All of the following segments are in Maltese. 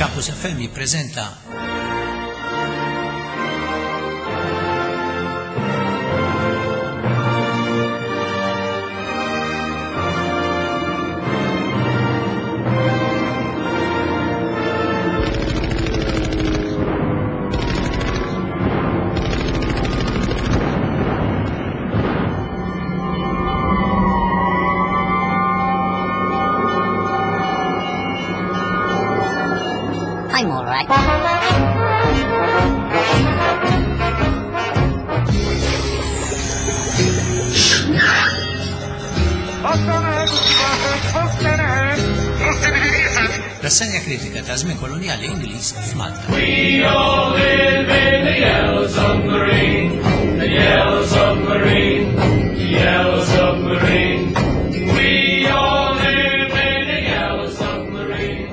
Campus FM jippreżenta I'm all right. Rassenja kritika ta' żmien kolonjali Ingliż f'Malta. We all live in the yellow submarine, the yellow submarine, the yellow submarine. We all live in the yellow submarine,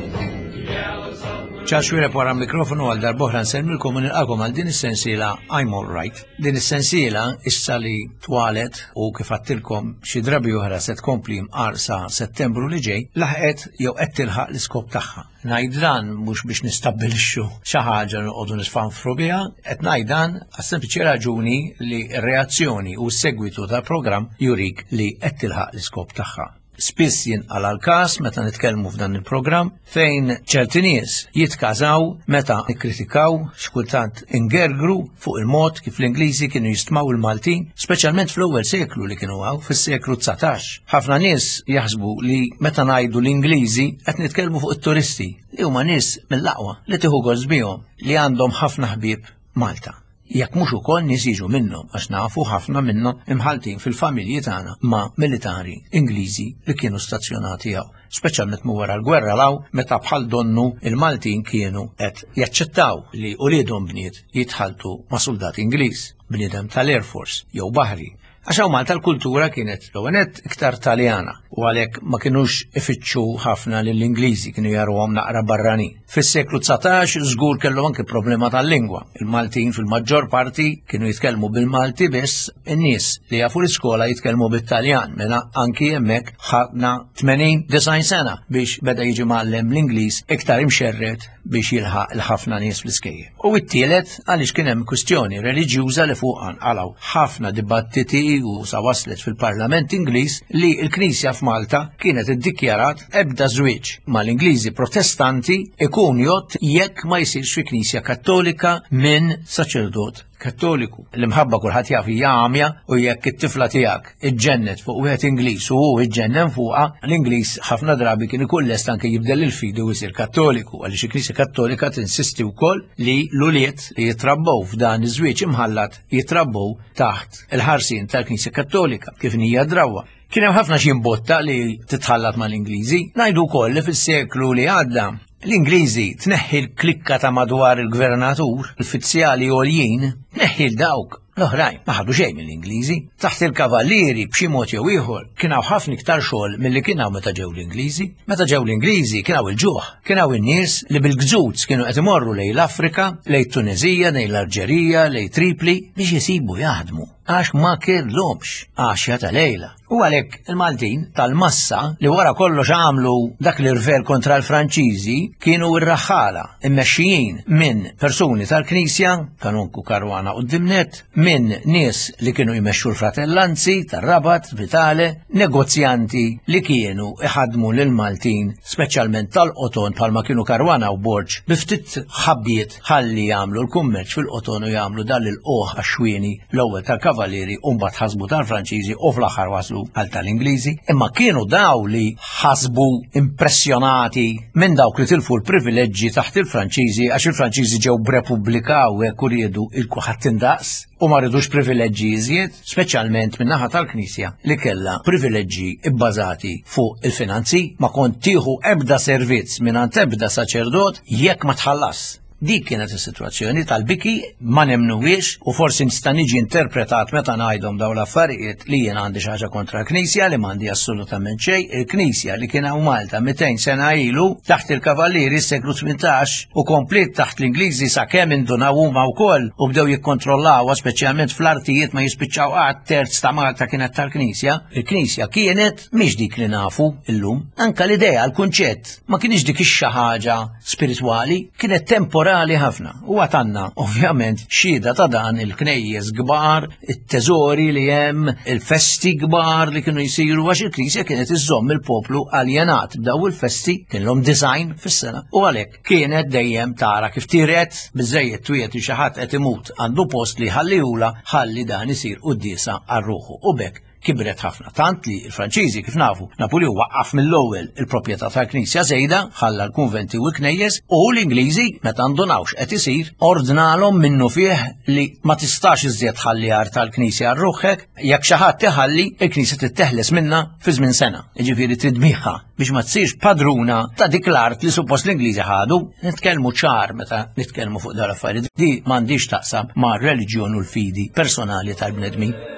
the yellow submarine. Charles Xuereb wara mikrofonu għal darbohra nsellmilkom u nilqakom għal din is-sensiela I'm All Right. Din is-sensiela issa li twalet u kif għattilkom xi drabi oħra se tkompli mqar sa Settembru li ġej, laħqet jew qed tilħaq l-iskop tagħha. Ngħid dan mhux biex nistabbilixxu xi ħaġa noqogħdu nisfanfru biha, qed ngħid dan għas-sempliċi raġuni li r-reazzjoni u s-segwitu tal-programm jurik li qed tilħaq l-iskop tagħha. Spiss jinqala' l-każ meta nitkellmu f'dan il-programm fejn ċerti nies jitkażaw meta nikkritikaw x'kultant ingergru fuq il-mod kif l-Ingliżi kienu jistmaw il-Maltin, speċjalment fl-ewwel seklu li kienu hawn, fis-seklu 19. Ħafna nies jaħsbu li meta ngħidu l-Ingliżi qed nitkellmu fuq it-turisti li huma nies mill-aqwa li tieħu gost bihom li għandhom ħafna ħbieb Malta. Jekk mhux ukoll nies jiġu minnhom għax nafu ħafna minnhom imħalltin fil-familji tagħna ma' militari Ingliżi li kienu stazzjonati hawn, speċjalment minn wara l-gwerra 'l hawn meta bħal donnu il-Maltin kienu qed jaċċettaw li uliedhom bniet jitħalltu ma' suldat Ingliż, bniedem tal-Air Force jew baħri. Għax hawn Malta l-kultura kienet l-ewwel nett iktar Taljana u għalhekk ma kinux ifittxu ħafna lill-Ingliżi kienu jaruhom naqra barranin. Fis-seklu 19 żgur kellhom anke problema tal-lingwa. Il-Maltin fil-maġġor parti kienu jitkellmu bil-Malti biss, in-nies li jafu l-iskola jitkellmu bit-Taljan, mela anki hemmhekk ħadna 80 sena biex beda jiġi mgħallem l-Ingliż iktar imxerred biex jilħaq il-ħafna nies fl-iskejjel. U t-tielet għaliex kien hemm kwistjoni reliġjuża li fuqha nqalgħu ħafna dibattiti u sa waslet fil-Parlament Ingliż li l-Knisja f'Malta kienet iddikjarat ebda żwieġ mal-Ingliżi Protestanti ikun jgħodd jekk ma jsirx fi Knisja Kattolika minn saċerdot Kattoliku. L-imħabba kulħadd jaf hija għamja u jekk it-tifla tiegħek iġġennet fuq wieħed Ingliż u hu iġġennen fuqha, l-Ingliż ħafna drabi kien ikun lest anke jibdel il-fidi u jsir Kattoliku għaliex il-Knisja Kattolika tinsisti wkoll li l-ulied li jitrabbew f'dan iż-żwieġ imħallat jitrabbew taħt il-ħarsien tal-Knisja Kattolika kif hija drawwa. Kien hemm ħafna xi imbotta li titħallat mal-Ingliżi. Ngħidu wkoll li fis-seklu li għadda l-Ingliżi tneħħi l-klikka ta' madwar il-gvernatur, l-uffizzjali għoljin, tneħħi l-dawk l-oħrajn ma ħadu xejn mill-Ingliżi. Taħt il-kavallieri b'xi mod jew ieħor kien hawn ħafna iktar xogħol milli kien hawn meta ġew l-Ingliżi. Meta ġew l-Ingliżi kien hawn il-ġuħ, kien hawn in-nies li bil-gżuz kienu qed imorru lejn l-Afrika, lejn Tuneżija, lejn l-Alġerija, lejn Tripli biex isibu jaħdmu għax ma kellhomx għaxja ta' lejla. U għalhekk il-Maltin tal-massa li wara kollox għamlu dak l-irvel kontra l-Franċiżi kienu r-raħħala immexxijin minn persuni tal-Knisja, kanonku Karwana u Dimnet, minn nies li kienu jmexxu l-fratellanzi tar-Rabat, Vitale, negozjanti li kienu iħadmu lil Maltin speċjalment tal-qoton bħalma kienu Karwana u Borġ bi ftit ħabbiet ħalli jagħmlu l-kummerċ fil-qoton u jagħmlu dan l-ilqugħ għax-xwieni l-ewwel tal-Kavallieri u mbagħad ħasbu tal-Franċiżi u fl-aħħar waslu għal tal-Ingliżi. Imma kienu daw li ħasbu impressjonati minn dawk li tilfu l-privileġġi taħt il-Franċiżi għax il-Franċiżi ġew b'repubblika u hekk u riedu il-kulħadd indaqs u ma ridux privileġġi iżjed, speċjalment min-naħa tal-Knisja li kellha privileġġi bbażati fuq il-finanzi, ma kont tieħu ebda servizz mingħand ebda saċerdot jekk ma tħallas. Dik kienet is-sitwazzjoni tal-biki ma nemnuwiex u forsi nista' niġi interpretat meta ngħidhom dawn l-affarijiet li jien għandi xi ħaġa kontra l-Knisja li m'għandi assolutament xejn. Il-Knisja li kien hawn Malta 200 sena ilu taħt il-Kavallieri s-seklu 18 u kompliet taħt l-Ingliżi sakemm indunaw huma wkoll u bdew jikkontrollawha speċjalment fl-artijiet ma jispiċċaw qatt terz ta' Malta kienet tal-Knisja. Il-Knisja kienet mhix dik li nafu illum. Anka l-idea, l-kunċett ma kienx dik ix-xi ħaġa spiritwali kienet temporali ħafna u għatanna ovvjament xhieda ta' dan il-knejjes kbar, it-teżori li hemm, il-festi kbar li kienu jsiru għax il-Knisja kienet iżżomm il-poplu aljenat b'daw il-festi kienlhom design fis-sena u għalhekk kienet dejjem tara kif tiret biżejjed twiet li xi ħadd qed imut għandu post li ħallihula ħalli dan isir quddiesa għal ruħu u bekk kibret ħafna, tant li l-Franċiżi kif nafu, Napuljun waqqaf mill-ewwel il-proprjetà tal-Knisja żejda, ħalla l-kunventi u l-knejjes, u l-Ingliżi meta ndunawx qed isir, ordnalhom minnu fih li ma tistax iżjed tħalli art tal-Knisja għal ruħek, jekk xi ħadd iħalli, il-Knisja titteħles minnha fi żmien sena. Jiġifieri trid tbigħha biex ma tsirx padruna ta' dik l-art li suppost l-Ingliżi ħadu. Nitkellmu ċar meta nitkellmu fuq dawn l-affarijiet. Di m'għandix taqsam ma' reliġjon u l-fidi personali tal-bnedmin.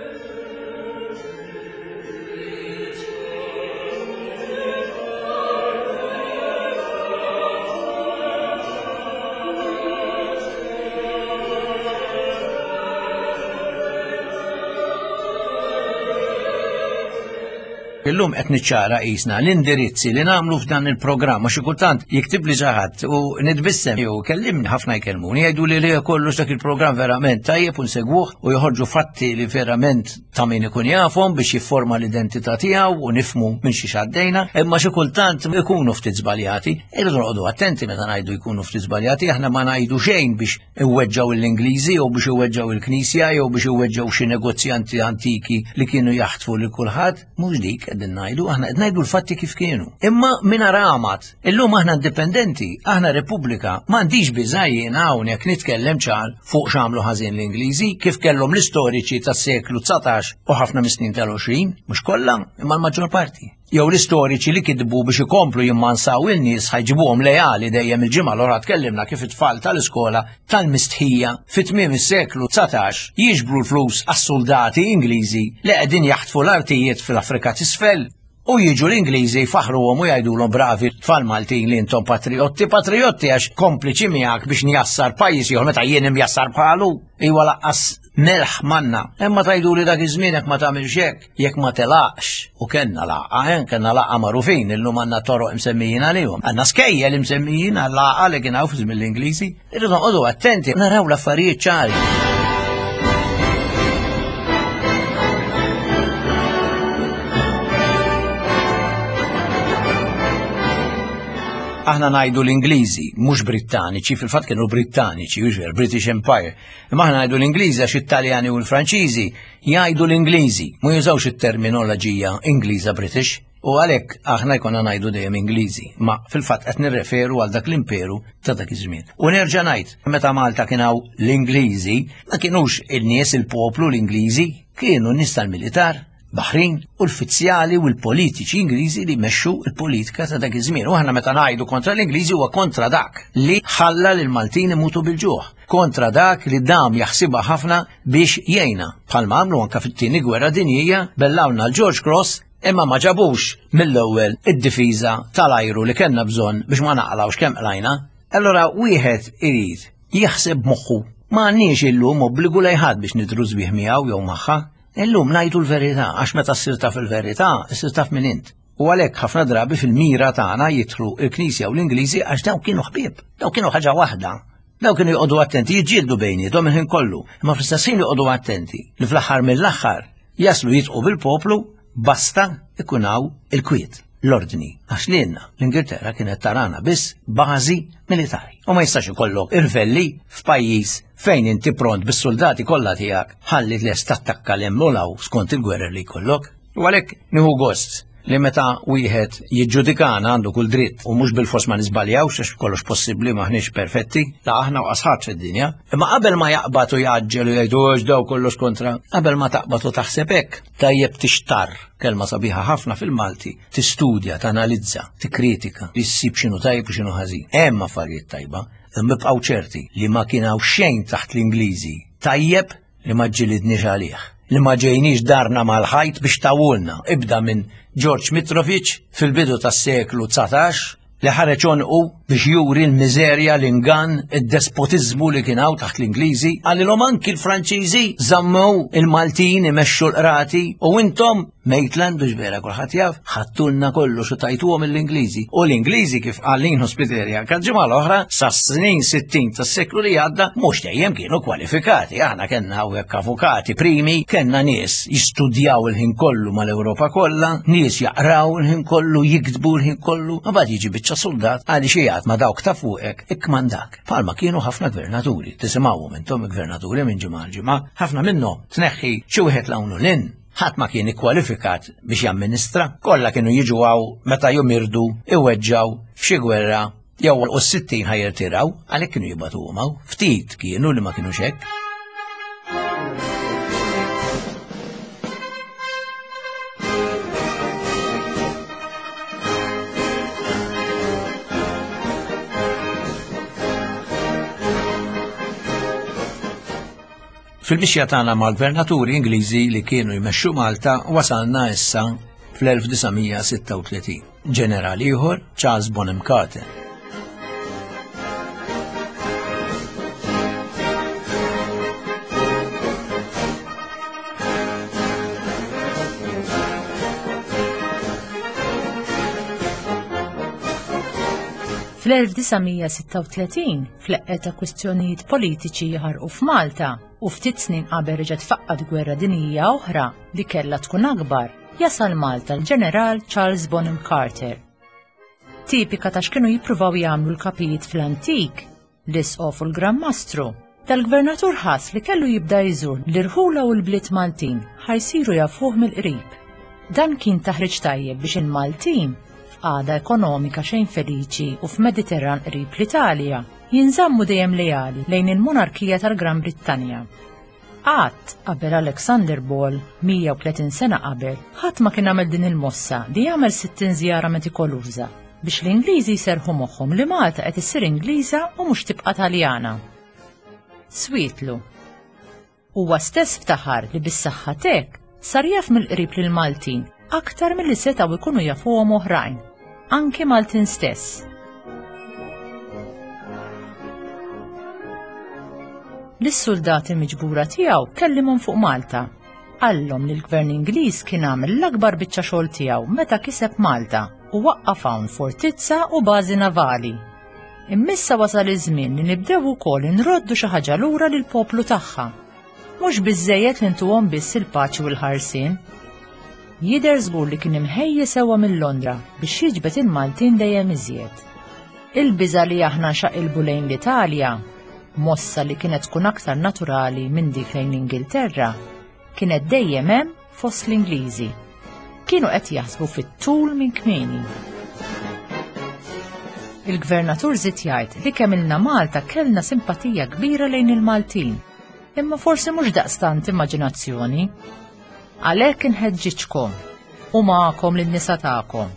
Illum qed niċċara qisna l-indirizzi li nagħmlu f'dan il-programm għax xi kultant jiktibli xi ħadd u nitbissem jew kellimni ħafna jkellmuni jgħidu li li kollox dak il-programm verament tajjeb u nsegwuh u joħorġu fatti li verament ta' min ikun jafhom biex jifforma l-identità tiegħu u nifmu minn xi għaddejna, imma xi kultant ikunu ftit żbaljati. Irridu noqogħdu attenti meta ngħidu jkunu ftit żbaljati, aħna ma ngħidu xejn biex iweġġgħu l-Ingliżi jew biex iweġġgħu il-Knisja jew biex iweġġgħu xi negozjanti antiki li kienu jaħtfu lil kulħadd, mhux dik qegħdin ngħidu, aħna qed ngħidu l-fatti kif kienu. Imma min aramat, illum aħna indipendenti, aħna Repubblika, m'għandix biża' jien hawnhekk nitkellem ċar fuq x'għamlu ħażin l-Ingliżi, kif kellhom l-istoriċi tas-seklu 19 u ħafna mis-snin tal-20, mhux kollha, imma l-maġġor parti. jew l-istoriċi li kitbu biex ikomplu jimmansaw in-nies ħajġibuhom leali dejjem il-ġimgħa l-oħra tkellimna kif it-tfal tal-iskola tal-mistħija fi tmiem is-seklu 19 jiġbru l-flus għas-suldati Ingliżi li qegħdin jaħtfu l-artijiet fl-Afrika t'isfel u jiġu l-Ingliżi jfaħruhom u jgħidulhom bravi tfal Maltin li intom patriotti, patriotti għax kompliċi miegħek biex njassar pajjiż ieħor meta jien imjassar bħalu. Iwa laqqas melħ manna. Imma tgħiduli dak iż-żmien jekk ma tagħmilx hekk, jekk ma telaqx, u kellna laqgħa, eh, kellna laqgħa magħrufin, illum għandna toroq imsemmijin għalihom. Għandna skejjel imsemmijin għal laqgħa li kien hawn fi żmien l-Ingliżi. Irridu noqogħdu attenti, naraw l-affarijiet ċari. Aħna ngħidu l-Ingliżi, mhux Brittaniċi, fil-fatt kienu Brittaniċi, British Empire. Imma aħna ngħidu l-Ingliżi għax it-Taljani u l-Franċiżi jgħidu l-Ingliżi, ma jużawx it-terminoloġija Ingliża British. U għalhekk aħna jkollna ngħidu dejjem Ingliżi, ma fil-fatt qed nirreferu għal dak l-imperu ta' dak iż-żmien. U nerġa' ngħid, meta Malta kien hawn l-Ingliżi, ma kienux in-nies il-poplu l-Ingliżi, kienu n-nies tal-militar, Baħrin u l-fizzjali u l-politiċi Ingliżi li mexxu l-politika ta' dak iż-żmien. U aħna meta ngħidu kontra l-Ingliżi huwa kontra dak li ħalla lil Maltin imutu bil-ġuħ, kontra dak li dam jaħsibha ħafna biex jgħinna. Bħalma għamlu anke fit-tieni gwerra dinjija bellawna l-George Cross imma ma ġabux mill-ewwel id-difiża tal-ajru li kellna bżonn biex ma naqlawx kemm qlajna. Allora wieħed irid jaħseb moħħu. Ma għandniex illum obbligu lejn ħadd biex nidhru sbieħ miegħu jew magħha. Illum ngħidu l-verità, għax meta ssir taf il-verità, issir taf min int. U għalhekk ħafna drabi fil-mira tagħna jidħlu l-Knisja u l-Ingliżi għax dawn kienu ħbieb, dawn kienu ħaġa waħda. Dawn kienu joqogħdu attenti jiġġieldu bejniethom il-ħin kollu, imma fl-istess ħin joqogħdu attenti li fl-aħħar mill-aħħar jaslu jitqu bil-poplu basta ikun hawn il-kwiet l-ordni, għax lilna l-Ingilterra kienet tarana biss bażi militari. U ma jistax ikollok irvelli f'pajjiż fejn inti pront bis-soldati kollha tiegħek ħalli lest tattakka l hemm u skont il-gwerer li jkollok. U għalhekk nieħu gost li meta wieħed jiġġudikana għandu kull dritt u mhux bil-fors ma niżbaljawx għax kollox possibbli maħniex perfetti, la aħna u qasħat fid-dinja. Imma qabel ma jaqbad u jgħaġġel u jgħidu għax daw kollox kontra, qabel ma taqbad u taħseb hekk, tajjeb tixtarr, kelma sabiħa ħafna fil-Malti, tistudja, tanalizza, tikkritika, issib x'inhu tajjeb u x'inhu ħażin. Hemm affarijiet tajba. Imma ibqgħu ċerti li ma kien hawn xejn taħt l-Ingliżi tajjeb li ma ġġilidniex għalih, li ma ġejniex darna mal-ħajt biex tawulna, ibda minn George Mitrovic fil-bidu tas-seklu 19 li ħareġ għonqu biex juri l-miżerja, l-ingann, id-despotiżmu li kien hawn taħt l-Ingliżi, qalilhom anki l-Franċiżi żammew il-Maltin imexxu l-qrati u intom Maitland biex vera kulħadd jaf, ħadtulna kollox u tajtuhom l-Ingliżi. U l-Ingliżi kif qal Lino Spiteri anke l-ġimgħa l-oħra sas-snin 60 tas-seklu li għadda mhux dejjem kienu kwalifikati. Aħna kellna hawnhekk avukati primi, kellna nies jistudjaw il-ħin kollu mal-Ewropa kollha, nies jaqraw il-ħin kollu, jiktbu l-ħin kollu, ma bad jiġi biċċa soldat għaliex jgħid ma dawk ta' fuqek ikkmandak. Palma kienu ħafna gvernaturi, tisimgħuhom intom gvernaturi minn ġimgħa ġimgħa, ħafna minnhom tneħħi xi wieħed l-hawn u lin ħadd ma kien ikkwalifikat biex jamministra, kollha kienu jiġu hawn meta jumirdu, iweġġaw f'xi gwerra jew u s-sittin ħajrtiraw, għalhekk kienu jibgħatuhom hawn. Ftit kienu li ma kinux hekk. Fil-mixja tagħna mal-gvernaturi Ingliżi li kienu jmexxu Malta wasalna issa fl-1936. Ġeneral ieħor, Charles Bonham Carter. Fl-1936, fl-eqqel ta' kwistjonijiet politiċi jaħarqu f'Malta u ftit snin qabel reġgħet faqqat gwerra dinjija oħra li kellha tkun akbar, jasal Malta l-Ġeneral Charles Bonham Carter. Tipika ta' x'kienu jippruvaw jagħmlu l-kapijiet fl-antik, l-Isqof u l-Gran Mastru, dal-Gvernatur ħass li kellu jibda jżur l-irħula u l-bliet Maltin ħa jsiru jafuh mill-qrib. Dan kien taħriġ tajjeb biex il-Maltin, f'qagħda ekonomika xejn feliċi u f'Mediterran qrib l-Italja, jinżammu dejjem leali lejn il-monarkija tal-Gran Brittanja. Qatt qabel Alexander Ball, 130 sena qabel, ħadd ma kien għamel din il-mossa li jagħmel 60 żjara metikoluża biex l-Ingliżi jserrħu moħħhom li Malta qed issir Ingliża u mhux tibqa' Taljana. Swietlu. Huwa stess ftaħar li bis-saħħa t'hekk sar jaf mill-qrib lill-Maltin aktar milli setgħu jkunu jafuhom oħrajn, anki Maltin stess. Lis-suldati miġbura tiegħu kellimhom fuq Malta. Qallhom li l-Gvern Ingliż kien għamel l-akbar biċċa xogħol tiegħu meta kiseb Malta u waqqaf hawn fortizza u bażi navali. Imma issa wasal iż-żmien li nibdew ukoll inroddu xi ħaġa lura lill-poplu tagħha. Mhux biżżejjed li ntuhom biss il-paċi u l-ħarsien. Jidher żgur li kien imħejji sewwa minn Londra biex jiġbed il-Maltin dejjem iżjed. Il-biża' li aħna nxaqilbu lejn l-Italja, mossa li kienet tkun aktar naturali minn dik lejn l-Ingilterra, kienet dejjem hemm fost l-Ingliżi. Kienu qed jaħsbu fit-tul minn kmieni. Il-Gvernatur żied jgħid li kemm ilna Malta kellna simpatija kbira lejn il-Maltin, imma forsi mhux daqstant immaġinazzjoni. Għalhekk inħeġġiġkom u magħkom lin-nisa tagħkom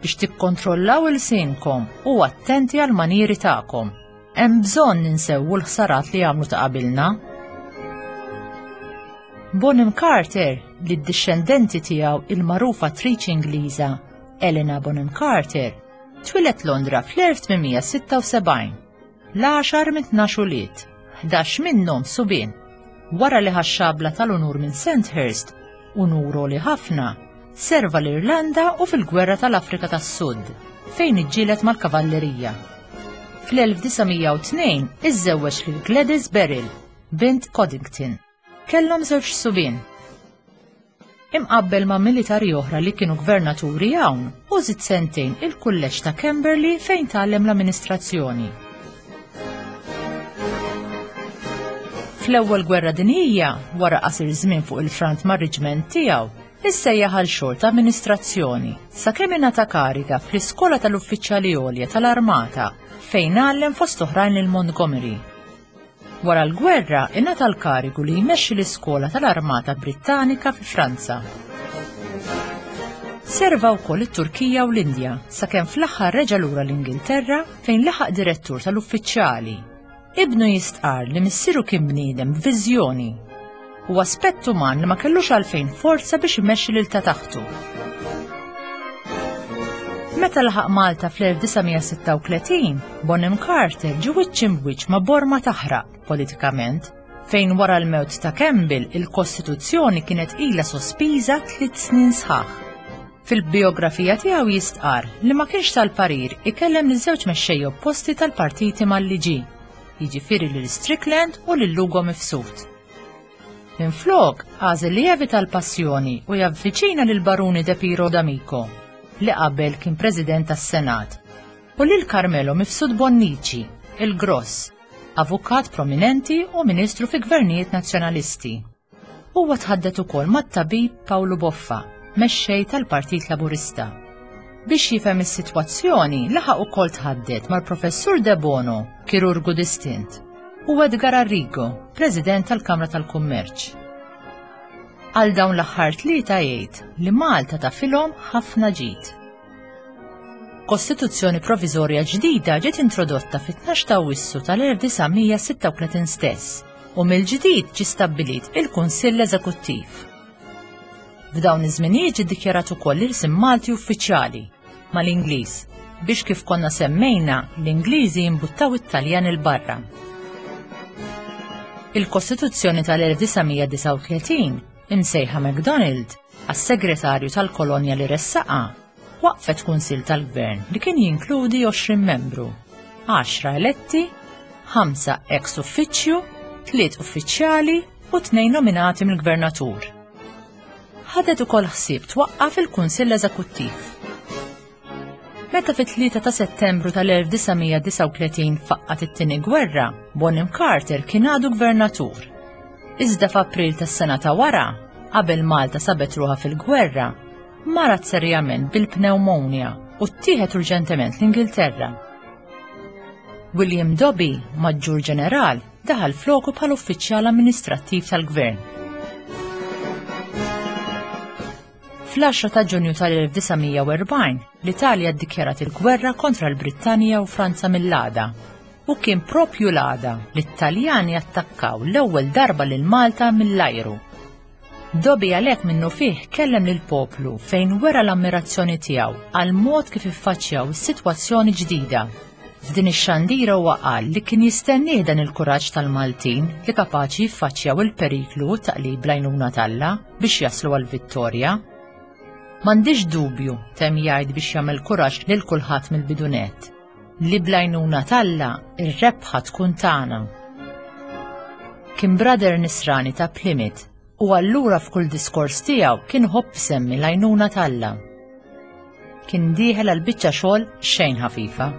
biex tikkontrollaw ilsienkom u attenti għall-manieri tagħkom. Hemm bżonn insewwu l-ħsarat li għamlu ta' qabilna. Bonham Carter, li d-dixxendenti tiegħu il-magħrufa attriċi Ingliża Helena Bonham Carter, twieled Londra fl-1876. L-għaxar minn 12 ulied, 11 minnhom subien. Wara li ħa x-xabla tal-unur minn Sandhurst, unur għoli ħafna, serva l-Irlanda u fil-Gwerra tal-Afrika tas-Sud, fejn iġġieled mal-kavallerija. Fl-1902 iżżewweġ lil Gladys Beryl, bint Coddington. Kellhom żewġ subien. Imqabbel ma' militari oħra li kienu gvernaturi hawn, u żied sentejn il-Kulleġġ ta' Camberley fejn tgħallem l-amministrazzjoni. Fl-Ewwel Gwerra Dinjija, wara qasir żmien fuq il-front mar-riġment tiegħu, issejjaħ għal xogħol ta' amministrazzjoni sakemm ingħata kariga fl-Iskola tal-Uffiċjali Għolja tal-Armata fejn għallem fost oħrajn lil Montgomery. Wara l-gwerra ingħata l-karigu li jmexxi l-Iskola tal-Armata Brittanika fi Franza. Serva wkoll it-Turkija u l-Indja sakemm fl-aħħar reġa' lura l-Ingilterra fejn laħaq direttur tal-uffiċjali. Ibnu jistqarr li missieru kien bniedem b'viżjoni u aspett uman li ma kellux għalfejn forza biex imexxi lil ta' taħtu. Meta laħaq Malta fl-1936, Bonham Carter ġie wiċċ imbwiċċ ma' borma taħraq politikament fejn wara l-mewt ta' Campbell il-Kostituzzjoni kienet ilha sospiża tliet snin sħaħ. Fil-bijografija tiegħu jistqarr li ma kienx tal-parir ikellem liż-żewġ mexxejja opposti tal-partiti mal-liġi, jiġifieri lil Strickland u lil Lugo Mifsud. Minflok, għażel li jevita l-passjoni u javviċina lil Baruni De Piro D'Amico, li qabel kien President tas-Senat, u lil Carmelo Mifsud Bonnici, il-Gross, avukat prominenti u ministru fi gvernijiet nazzjonalisti. Huwa tħaddet ukoll mat-tabib Pawlu Boffa, mexxej tal-Partit Laburista. Biex jifhem is-sitwazzjoni, laħaq ukoll tħaddet mal-Professur Debono, kirurgu distint, u Edgar Arrigo, President tal-Kamra tal-Kummerċ. Għal dawn l-aħħar tlieta jgħid li Malta tafilhom ħafna ġid. Kostituzzjoni proviżorja ġdida ġiet introdotta fit-12 ta' Awwissu tal-1936 stess u mill-ġdid ġie stabbilit il-Kunsill Eżekuttiv. F'dawn iż-żminijiet ġie ddikjarat ukoll l-ilsien Malti uffiċjali mal-Ingliż biex kif konna semmejna l-Ingliżi jimbuttaw it-Taljan 'il barra. Il-Kostituzzjoni tal-1939 imsejħa MacDonald għas-segretarju tal-kolonja li ressaqha, waqqfet kunsill tal-gvern li kien jinkludi 20 membru, għaxra eletti, ħamsa ex uffiċċju, tliet uffiċjali u tnejn nominati mill-gvernatur. Ħadet ukoll ħsieb twaqqaf il-Kunsill Eżekuttiv. Meta fit-3 ta' Settembru tal-1939 faqqat it-Tieni Gwerra, Bonham Carter kien għadu gvernatur. Iżda f'April tas-sena ta' wara, qabel Malta sabet ruħha fil-gwerra, marad serjament bil-pneumonia u ttieħed urġentement l-Ingilterra. William Dobby, Maġġur Ġeneral, daħal floku bħal uffiċjal amministrattiv tal-gvern. Fl-10 ta' Ġunju tal-1940, l-Italja ddikjarat il-gwerra kontra l-Brittanja u Franza mill-għada. U kien propju l-għada li t-Taljani attakkaw l-ewwel darba lil Malta mill-ajru. Dobby għalhekk minnufih kellem lill-poplu fejn wera l-ammirazzjoni tiegħu għall-mod kif iffaċċjaw is-sitwazzjoni ġdida. F'din ix-xandira huwa qal li kien jistennieh dan il-kuraġġ tal-Maltin li kapaċi jiffaċċjaw il-periklu u t-taqlib bl-għajnuna t'Alla biex jaslu għall-vittorja. M'għandix dubju, temm jgħid biex jagħmel kuraġġ lil kulħadd mill-bidu nett, li bl-għajnuna t'Alla r-rebħa tkun tagħna. Kien brother nisrani ta' Plymouth u allura f'kull diskors tiegħu kien iħobb isemmi l-għajnuna t'Alla. Kien dieħel għal biċċa xogħol xejn ħafifa.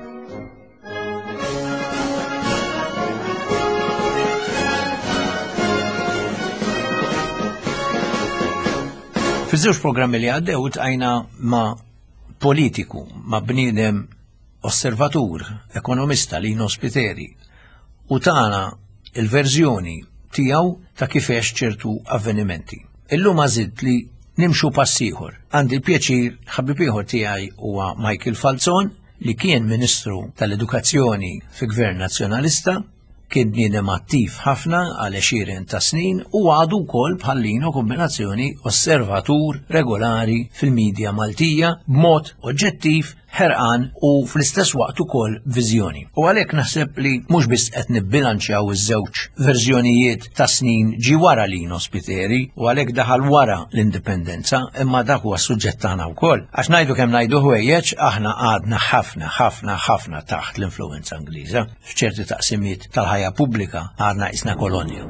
Fiż-żewġ programmi li għaddew tqajna ma' politiku, ma' bniedem osservatur, ekonomista Lino Spiteri, u tana il-verżjoni tiegħu ta' kif għex ċertu avvenimenti. Illum għażilt li nimxu pass ieħor. Għandi l-pjaċir ħabib ieħor tiegħi huwa Michael Falzon li kien Ministru tal-Edukazzjoni fi Gvern Nazzjonalista, kien bniedem attiv ħafna għal għexieren ta' snin u għadu wkoll bħal Lino kombinazzjoni osservatur regolari fil-midja Maltija b'mod oġġettiv, ħerqan u fl-istess waqt ukoll viżjoni. U għalhekk naħseb li mhux biss qed nibbilanċjaw iż-żewġ verżjonijiet ta' snin ġi wara Lino Spiteri u għalhekk daħal wara l-indipendenza, imma dak huwa s-suġġett tagħna wkoll. Għax ngħidu kemm ngħidu ħwejjeġ aħna għadna ħafna ħafna ħafna taħt l-influenza Ingliża. F'ċerti taqsimiet tal-ħajja pubblika għadna qisna kolonja.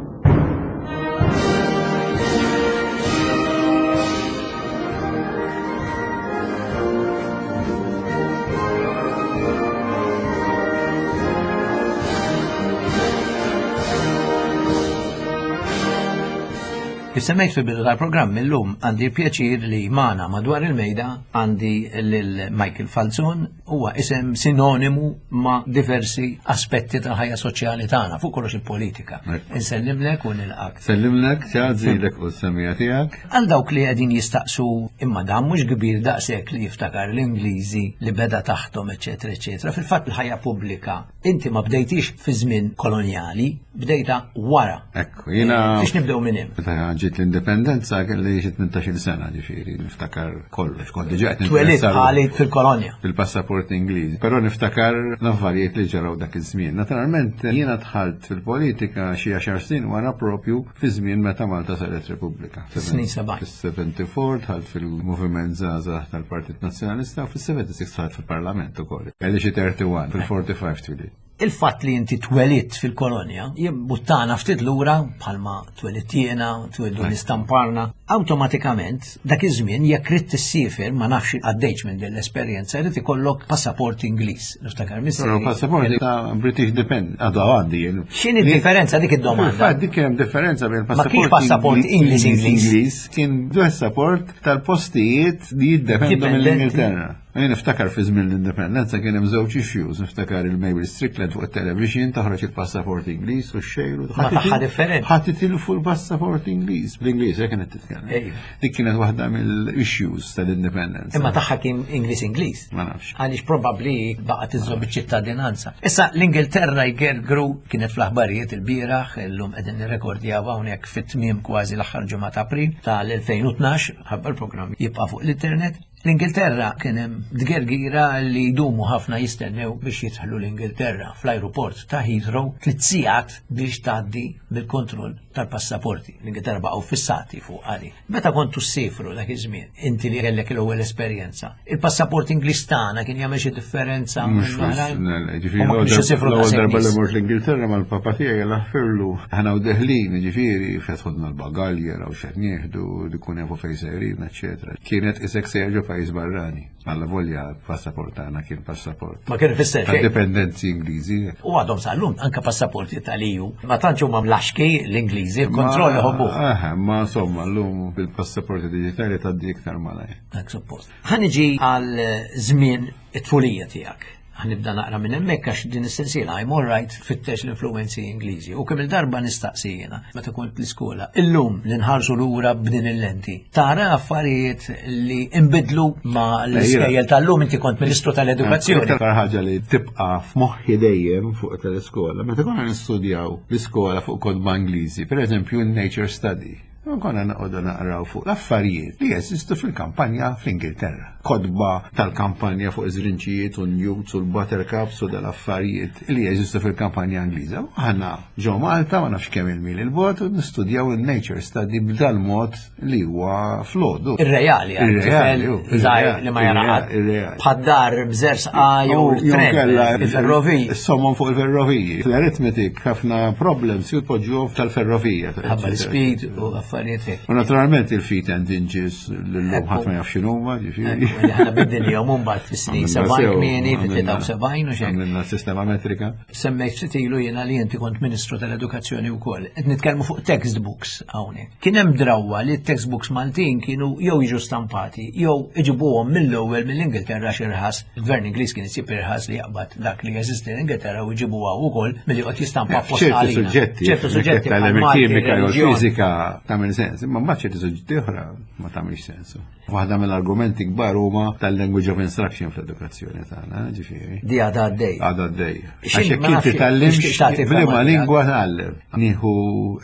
Kif semmejt fil-bidu tal-programm illum għandi l-pjaċir li magħna madwar il-mejda għandi lil Michael Falzon huwa isem sinonimu ma' diversi aspetti tal-ħajja soċjali tagħna fuq kollox il-politika. Insellimlek u nilqak. Sellimlek, ċażilek u s-semija tiegħek. Għal dawk li qegħdin jistaqsu imma dan mhux kbir daqshekk li jiftakar l-Ingliżi li beda taħtom, eċetera, eċetera. Fil-fatt il-ħajja pubblika Inti ma bdejtix fi żmien kolonjali, bdejta wara. Ekku, jiena. Biex nibdew minn hemm. Meta ġiet l-indipendenza kelli xi 18-il sena ġifieri, niftakar kollox, kont diġà qed Twelidt bħali fil-kolonja. Fil-passaport Ingliż, però niftakar l-affarijiet li ġaraw dak iż-żmien. Naturalment jiena dħalt fil-politika xi għaxar snin wara propju fi żmien meta Malta saret Repubblika. Fis-snin 70. Fis-74 dħalt fil-Moviment Żgħażagħ tal-Partit Nazzjonalista u fis-76 dħalt fil-Parlament ukoll. Kelli xi 31, fil-45 twilidt. Il-fatt li inti twelidt fil-kolonja jimbuttana ftit lura bħalma twelidt jiena, tweldu nistamparna, awtomatikament dak iż-żmien jekk ridt tissiefer ma nafx għaddejtx minn din l-esperjenza jrid ikollok passaport Ingliż. Niftakar missieri. Però passaport ta' British Depend għadu għandi jien. X'inhi d-differenza dik id-domanda? Fil-fatt dik kien hemm differenza bejn passaport. Ma kienx passaport Ingliż Ingliż kien passaport tal-postijiet li jiddependu mill-Ingilterra. Jien niftakar fi żmien l-indipendenza kien hemm żewġ issues, niftakar il-Mabel Strickland fuq it-television toħroġ il-passaport Ingliż u x-xejru. Ma tagħha differenti. Ħadd itilfu l-passaport Ingliż. Bl-Ingliż hekk kienet titkellem. Dik kienet waħda mill-issues tal-indipendenza. Imma tagħha kien Ingliż Ingliż. Ma nafx. Għaliex probabbli baqgħet iżżomm iċ-ċittadinanza. Issa l-Ingilterra jgergru kienet fl-aħbarijiet il-bieraħ, illum qegħdin nirrekordjaw hawnhekk fit-tmiem kważi l-aħħar ġimgħa ta' April tal-2012, ħabba l-programm jibqa' fuq l-internet. L-Ingilterra kien hemm tgergira li jdumu ħafna jistennew biex jidħlu l-Ingilterra fl-ajruport ta' Heathrow tliet sigħat biex tgħaddi mill-kontroll tal-passaporti. L-Ingilterra baqgħu fissati fuq għali. Meta kontu ssifru dak iż-żmien, inti li kellek l-ewwel esperjenza, il-passaport Ingliż tagħna kien jagħmel xi differenza? Mhux Ġifieri l-ewwel darba li mort l-Ingilterra mal-papa tiegħi laħfirlu aħna u deħlin, ġifieri fetħodna l-bagalji raw x'qed nieħdu, dikun jafu fejn sejrin, eċċetera. Kienet isek sejjer ġo pajjiż barrani. Alla volja passaport tagħna kien passaport. Ma kien ifisser xejn. Dipendenzi Ingliżi. U għadhom sal-lum anke passaporti tal-EU. Ma tantx huma mlaxki l-Ingliżi, il-kontroll iħobbu. Aha, ma insomma llum bil-passaporti diġitali tgħaddi iktar malajr. Dak suppost. Ħa niġi għal żmien it-tfulija tiegħek. Ħanibda naqra minn hemmhekk għax din is-sensiela I'm all right tfittex l-influenzi Ingliżi. U kemm il-darba nistaqsi jiena meta kont l-iskola. Illum li nħarsu lura b'din il-lenti. Tara affarijiet li imbidlu ma l-iskejjel tal-lum inti kont Ministru tal-Edukazzjoni. Iktar ħaġa li tibqa' f'moħħi dejjem fuq tal-iskola, meta konna nistudjaw l-iskola fuq kotba Ingliżi, pereżempju n-Nature Study. U konna noqogħdu naqraw fuq l-affarijiet li jeżistu fil-kampanja fl-Ingilterra. Kotba tal-kampanja fuq iż-żrinċijiet u n-newts u l-buttercups u dal-affarijiet li jeżistu fil-kampanja Ingliża. U aħna ġo Malta ma nafx kemm il-mil il-bogħod u nistudjaw il-nature study b'dal-mod li huwa flodu. Ir-reali, Ir-reali, hu, żgħir li ma jara ħadd. Ir-reali. Bħad-dar b'żersqa jew Jew il-tren, il-ferroviji. Somom fuq il-ferroviji. Fl-arithmetic ħafna problems jitpoġġuhom tal-ferrovija. Ħabba l-speed u affarijiet hekk. U naturalment il-feet and inches l-lum ħadd ma jaf x'inhuma, ġifieri. Aħna bidilhom mbagħad fis-snin 70 kmieni, fit-73 u xejn. Għamilna sistema metrika. Semmejt ftit ilu jiena li inti kont Ministru tal-Edukazzjoni wkoll. Qed nitkellmu fuq textbooks hawnhekk. Kien hemm drawwa li t-textbooks Maltin kienu jew jiġu stampati jew iġibuhom mill-ewwel mill-Ingilterra xi irħas. Il-Gvern Ingliż kien isib irħas li jaqbad dak li jeżisti l-Ingilterra u jġibu hawn ukoll milli joqgħod jistampa apposta Ċerti għalina. suġġetti, Ċertu suġġetti tagħlem bħal Malti, il-kimika jew reliġjon. il-fiżika tagħmel sens, imma mbagħad ċerti suġġetti oħra ma tagħmilx sens. Waħda mill-argumenti kbar huma tal-language of instruction fl-edukazzjoni tagħna, ġifieri. Di għadha għaddej. Għadha għaddej. X'in- Għax jekk ma inti nafx, tgħallimx nixtieq tagħti b'liema fehma lingwa tgħallem. Nieħu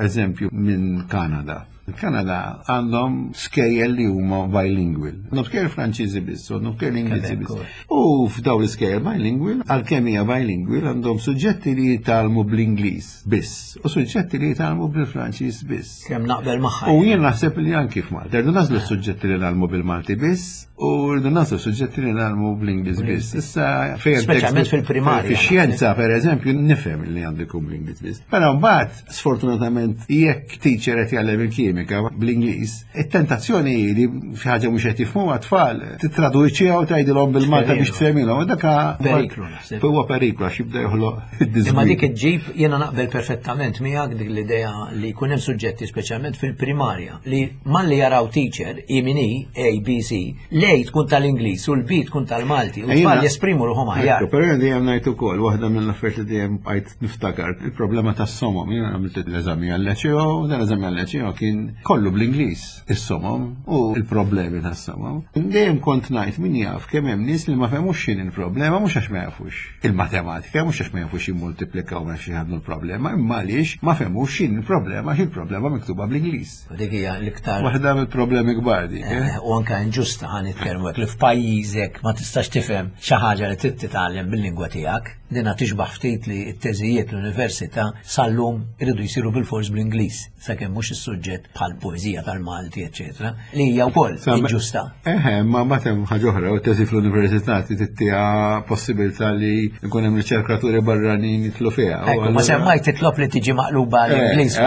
eżempju minn Kanada. Il-Kanada għandhom skejjel li huma bilingual. Għandhom skejjel Franċiżi biss, għandhom skejjel Ingliżi Quebec, biss. U f'daw l-iskejjel bilingual, għalkemm hija bilingual, għandhom suġġetti li jitgħallmu bl-Ingliż biss u suġġetti li jitgħallmu bil-Franċiż biss. Kemm naqbel magħha. U jien naħseb li anki f'Malta, rridu nażlu suġġetti li nagħmlu bil-Malti biss u rridu nażlu suġġetti li nagħmlu bl-Ingliż biss. Issa fejn Speċjalment fil-primarja. Fix-xjenza pereżempju nifhem li għandu jkun bl-Ingliż biss. Però mbagħad sfortunatament jekk teacher qed jgħallem il-kimika. il-kimika bl-Ingliż, it-tentazzjoni hi li xi ħaġa mhux qed jifhmuha tfal, tittraduċiha u tgħidilhom bil-Malta biex tfehmilhom. Dak periklu naħseb. Huwa periklu għax jibda joħloq id Imma dik iġġib jiena naqbel perfettament miegħek dik l-idea li jkun hemm suġġetti speċjalment fil-primarja li malli jaraw teacher I min I, A, B, C, l-A tkun tal-Ingliż u l-B tkun tal-Malti u tfal jesprimu ruħhom aħjar. Però jien dejjem ngħid ukoll waħda mill-affarijiet li dejjem bqajt niftakar il-problema tas-somom. Jiena għamilt l-eżami għal-leċeo, dan l-eżami għal-leċeo kien kollu bl-Ingliż is-somom u il-problemi tas-somom. Dejjem kont ngħid min jaf kemm hemm nies li ma fehmux x'inhi l-problema mhux għax ma jafux il-matematika, mhux għax ma jafux jimmultiplikaw ma xi ħadnu l-problema, imma għaliex ma fehmux x'inhi l-problema għax il-problema miktuba bl-Ingliż. Dik hija l-iktar. Waħda mill-problemi kbar dik. Eh? Eh, u anke inġusta ħa nitkellmu hekk li f'pajjiżek ma tistax tifhem xi ħaġa li trid titgħallem bil-lingwa tiegħek. Dina tixbaħ ftit li t-teżijiet l-università sal-lum iridu jsiru bil-fors bl-Ingliż, sakemm mhux is-suġġett bħal poeżija tal-Malti, eċetera, li hija wkoll inġusta. Eħe, ma mbagħad hemm ħaġa oħra, u teżi fl-università tittiha possibilità li jkun hemm riċerkaturi barranin jitlu fiha. Ekku, ma semmajt titlob li tiġi maqluba eh, l-Ingliż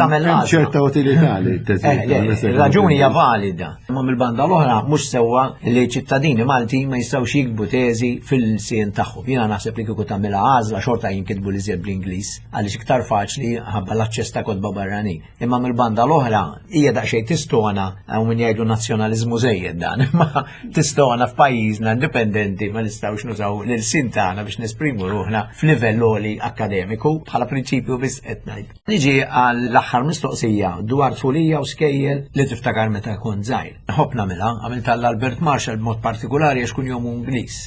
tagħmel ċerta utilità li teżi. Eh, raġuni hija valida. Imma mill-banda l-oħra mhux sewwa li ċittadini Maltin ma jistgħux jiktbu teżi fil-sien tagħhom. Jiena naħseb li kieku tagħmilha għażla xorta jinkitbu li żjed bl-Ingliż għaliex iktar faċli ħabba l-aċċess ta' kotba barranin. Imma mill-banda l-oħra hija daqsxejn tistona hawn min jgħidu nazzjonaliżmu żejjed dan, imma tistona f'pajjiżna indipendenti ma nistgħux nużaw l-sin tagħna biex nesprimu ruħna f'livell għoli akkademiku bħala prinċipju biss qed ngħid. Niġi għall-aħħar mistoqsija dwar tfulija u skejjel li tiftakar meta kont żgħir. Nħobb nagħmilha, għamiltha l-Albert Marshall b'mod partikolari għax kun jom Ingliż.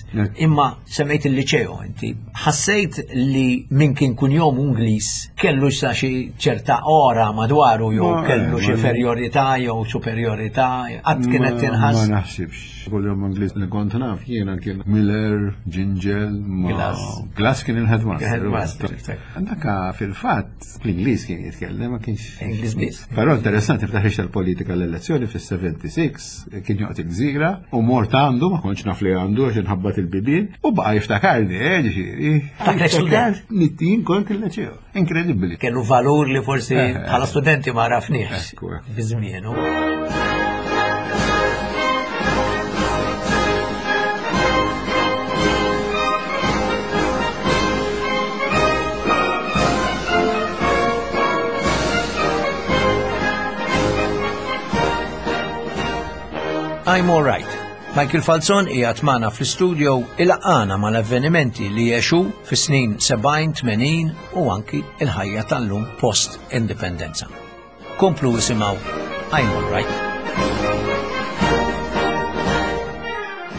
Imma semmejt il-liċeo inti. Ħassejt li min kien kun jom Ingliż kellu sa xi ċerta ora madwaru jew kellu xi inferjorità jew superjorità, qatt kienet tinħass. Ma naħsibx. Kull jom Ingliż li kont naf jiena kien Miller, Gingell, Glass. Glass kien il-headmaster. Il-headmaster. Daka fil-fatt l-Ingliż kien jitkellem ma kienx. Ingliż biss. Però interessanti ftaħ tal-politika l-elezzjoni fis-76 kien joqgħod il-gżira u mort għandu ma kontx naf li għandu għax inħabbat il-bibien u baqa' jiftakarni, eh, ġifieri. Ftakrek student. Nittin kont il-leċeo. Inkredibbli. Kellu valur li forsi eh, eh. bħala studenti ma rafniex. Fi żmienu. I'm all right. Michael Falzon qiegħed magħna fl-istudio ilaqqana mal-avvenimenti li għexu fis-snin 70, 80 u anki il-ħajja tal-lum post-indipendenza. Komplu isimgħu I'm all right.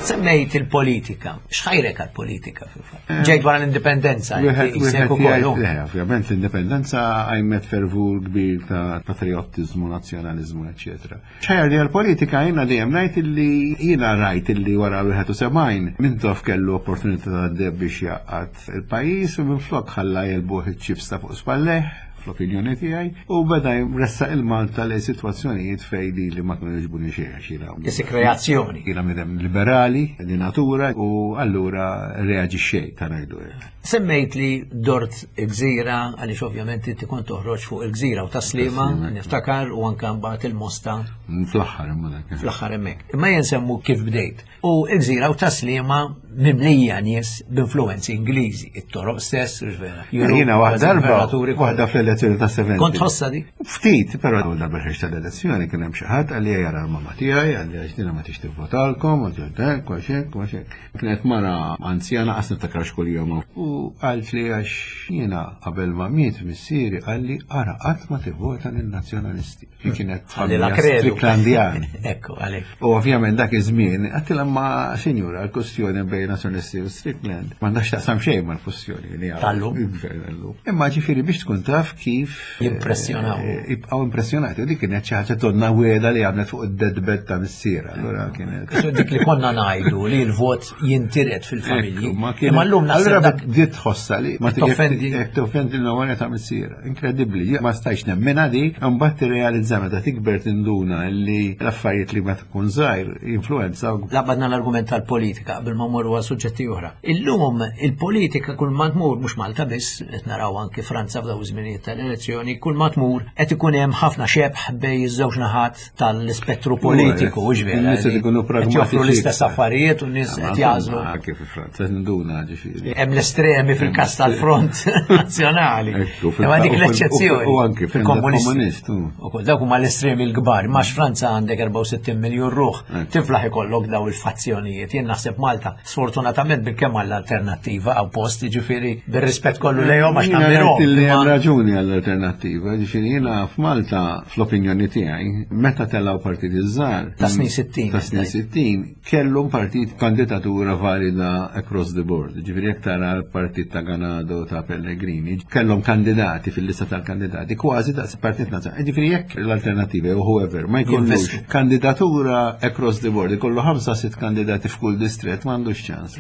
Semmejt il-politika. X'ħajrek għal-politika fil-fatt? Eh, Ġejt wara l-indipendenza. Ovvjament l-indipendenza għajmet fervur kbir ta' patriotizmu, nazjonalizmu, eccetera. X'ħajrni għall-politika jiena dejjem ngħid illi jiena rajt illi wara 71 Mintoff kellu opportunità tad-deheb biex jgħaqqad il-pajjiż u minflok ħalla jegħlbuh iċ-ċips ta' fuq spallejh, fl-opinjoni tiegħi, u beda jressaq il-Malta lejn sitwazzjonijiet fejn lili ma kienu jogħġbuni xejn għax jiena Isik reazzjoni. Jiena bniedem liberali di natura u allura reaġixxejt ta' ngħidu hekk. Semmejt li dort il-gżira, għaliex ovvjament inti kont toħroġ fuq il-gżira u taslima, niftakar u anka mbagħad il-mosta. Fl-aħħar imma dak. Fl-aħħar hemmhekk. Imma jien semmu kif bdejt. U il-gżira u taslima mimlija nies b'influenzi Ingliżi, it-toroq stess, vera. Jiena waħda darba, waħda fl-elezzjoni ta' 70. Kont ħossa di? Ftit, però l darba ħriġt tal-elezzjoni kien hemm xi ħadd għalli jara l-mamma tiegħi, għalli għax dina ma tix tivvotalkom, u ġeddek, u xek, u xek. Kienet mara anzjana qas niftakar x'kuljom u qaltli għax jiena qabel ma miet missieri qalli ara qatt ma tivvota lin-Nazzjonalisti. Hi kienet familja Stricklandian. Ekku, għalhekk. U ovvjament dak iż-żmien għedtilha ma sinjura l-kwestjoni bejn Nazzjonalisti u Strickland m'għandha x'taqsam xejn mal-kwestjoni li Tal-lum. Il-gvern tal-lum. Imma ġifieri biex tkun taf kif Jimpressjonaw. Eh, jibqgħu impressjonati. U dik kienet xi ħaġa donna wieda li għamlet fuq id-deadbed ta' missiera. Allura kienet. Dik li konna ngħidu li l-vot jintiret fil-familji. Imma llum naħseb. Allura bdiet tħossa li ma toffendi. Toffendi l-memorja ta' missiera. Inkredibbli. Ma stajx nemmena di, mbagħad tirrealizza meta tikber tinduna li l-affarijiet li meta tkun żgħir jinfluwenza. Labadna l-argument tal-politika qabel ma morru ngħaddu għal suġġetti oħra. Illum il-politika kull ma tmur mhux Malta biss, qed naraw anki Franza f'daw iż-żminijiet tal-elezzjoni, kull ma tmur qed ikun hemm ħafna xebħ bej iż-żewġ naħat tal-ispettru politiku, hux vera. In-nies qed ikunu pragmatiċi. l-istess affarijiet u n-nies qed jażlu. Anke fi Franza nduna ġifieri. Hemm l-estremi fil-każ tal-Front Nazzjonali. Imma dik l-eċċezzjoni. U anke fil-komunist. Ukoll dawk huma l-estremi l-kbar, max Franza għandek 64 miljun ruħ, tiflaħ ikollok daw il-fazzjonijiet. Jien naħseb Malta, sfortunatament bil-kemm għall-alternattiva għaw post, ġifieri bir-rispett kollu lejhom għax tagħmilhom. Li hemm raġuni għall-alternattiva, ġifieri jiena f'Malta fl-opinjoni tiegħi, meta telgħu partiti żgħar. Ta' snin 60. Ta' snin 60, kellhom partit kandidatura valida across the board. Ġifieri jekk tara l-partit ta' Ganado ta' Pellegrini, kellhom kandidati fil-lista tal-kandidati kważi daqs partit nazzjonali. Ġifieri jekk l-alternativa jew whoever ma jkollux kandidatura across the board, ikollu ħamsa sitt kandidati f'kull distret m'għandux ċans.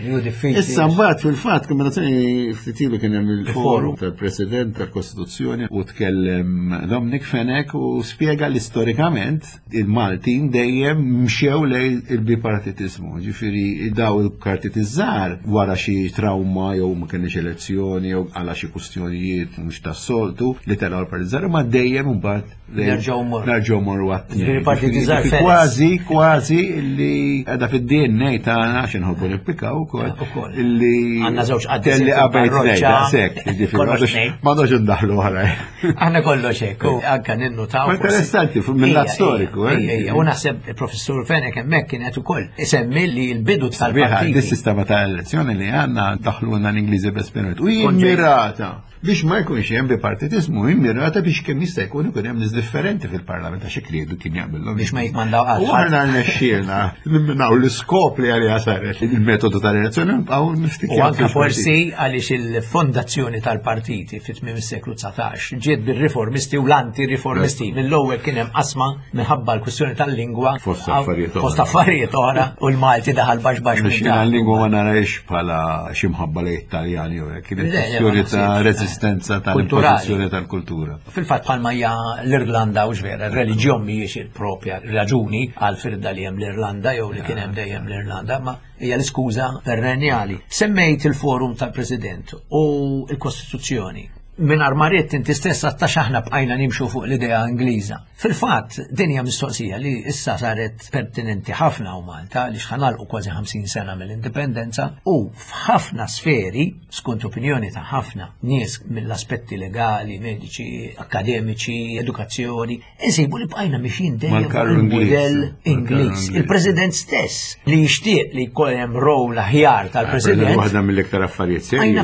Issa mbagħad fil-fatt kombinazzjoni ftit ilu kien hemm il-forum tal-President tal-Kostituzzjoni u tkellem Dominic Fenech u spjega li storikament il-Maltin dejjem mxew lejn il-bipartitizmu. Ġifieri daw il-partit iż-żgħar wara xi trauma jew ma kenniex elezzjoni jew għala xi kwistjonijiet mhux tas-soltu li telgħu l-partit żgħar imma dejjem imbagħad nerġgħu morru. Nerġgħu morru għat Partit iż-żgħar Kważi, kważi li qiegħda fid-DNA tagħna għax inħobbu nippikaw ukoll. Illi għandna żewġ qaddisin. Telli qabel tnejn, daqshekk, ġifieri m'għandux indaħlu oħra. Aħna kollox hekk, u anke ninnutaw. Interessanti, mill-lat storiku. Eh? U naħseb il-professur Fenek hemmhekk kien qed ukoll isemmi li l-bidu tal-partit. Dis-sistema ta' elezzjoni li għandna daħluna l-Ingliżi b'esperiment. U jimmirata biex ma jkunx hemm bipartitizmu, immirata biex kemm jista' jkun ikun hemm nies differenti fil-parlament għax ikridu kien jaqbilhom. Biex ma jikmandaw qatt. U aħna rnexxielna nimminaw l-iskop li għaliha saret il-metodu tal-elezzjoni nibqgħu U anke forsi għaliex il-fondazzjoni tal-partiti fit tmiem is-seklu 19 ġiet bir-riformisti u l-anti-riformisti. Mill-ewwel kien hemm qasma minħabba l-kwistjoni tal-lingwa. Fost affarijiet oħra. Fost affarijiet oħra u l-Malti daħal baxx baxx. Biex jiena l-lingwa ma narajx bħala xi mħabba lejn Italjani jew hekk, kienet kwistjoni ta' reżistenza tal-impożizzjoni tal-kultura. Fil-fatt bħalma hija l-Irlanda u vera, r-reliġjon mhijiex il-propja raġuni għal firda li hemm l-Irlanda jew li kien hemm dejjem l-Irlanda, ma hija l-iskuża perenjali. Semmejt il-forum tal-President u l-Kostituzzjoni. Minn armariet inti stess għattax aħna bqajna nimxu fuq l-idea Ingliża. Fil-fatt, din hija mistoqsija li issa saret pertinenti ħafna u Malta li xħanalqu kważi 50 sena mill-indipendenza u f'ħafna sferi, skont opinjoni ta' ħafna nies mill-aspetti legali, mediċi, akademiċi, edukazzjoni, Insibu li bqajna mixjin dejjem il-mudell Ingliż. Il-President stess li jixtieq li jkun hemm rol aħjar tal-President. Waħda mill-iktar affarijiet serji.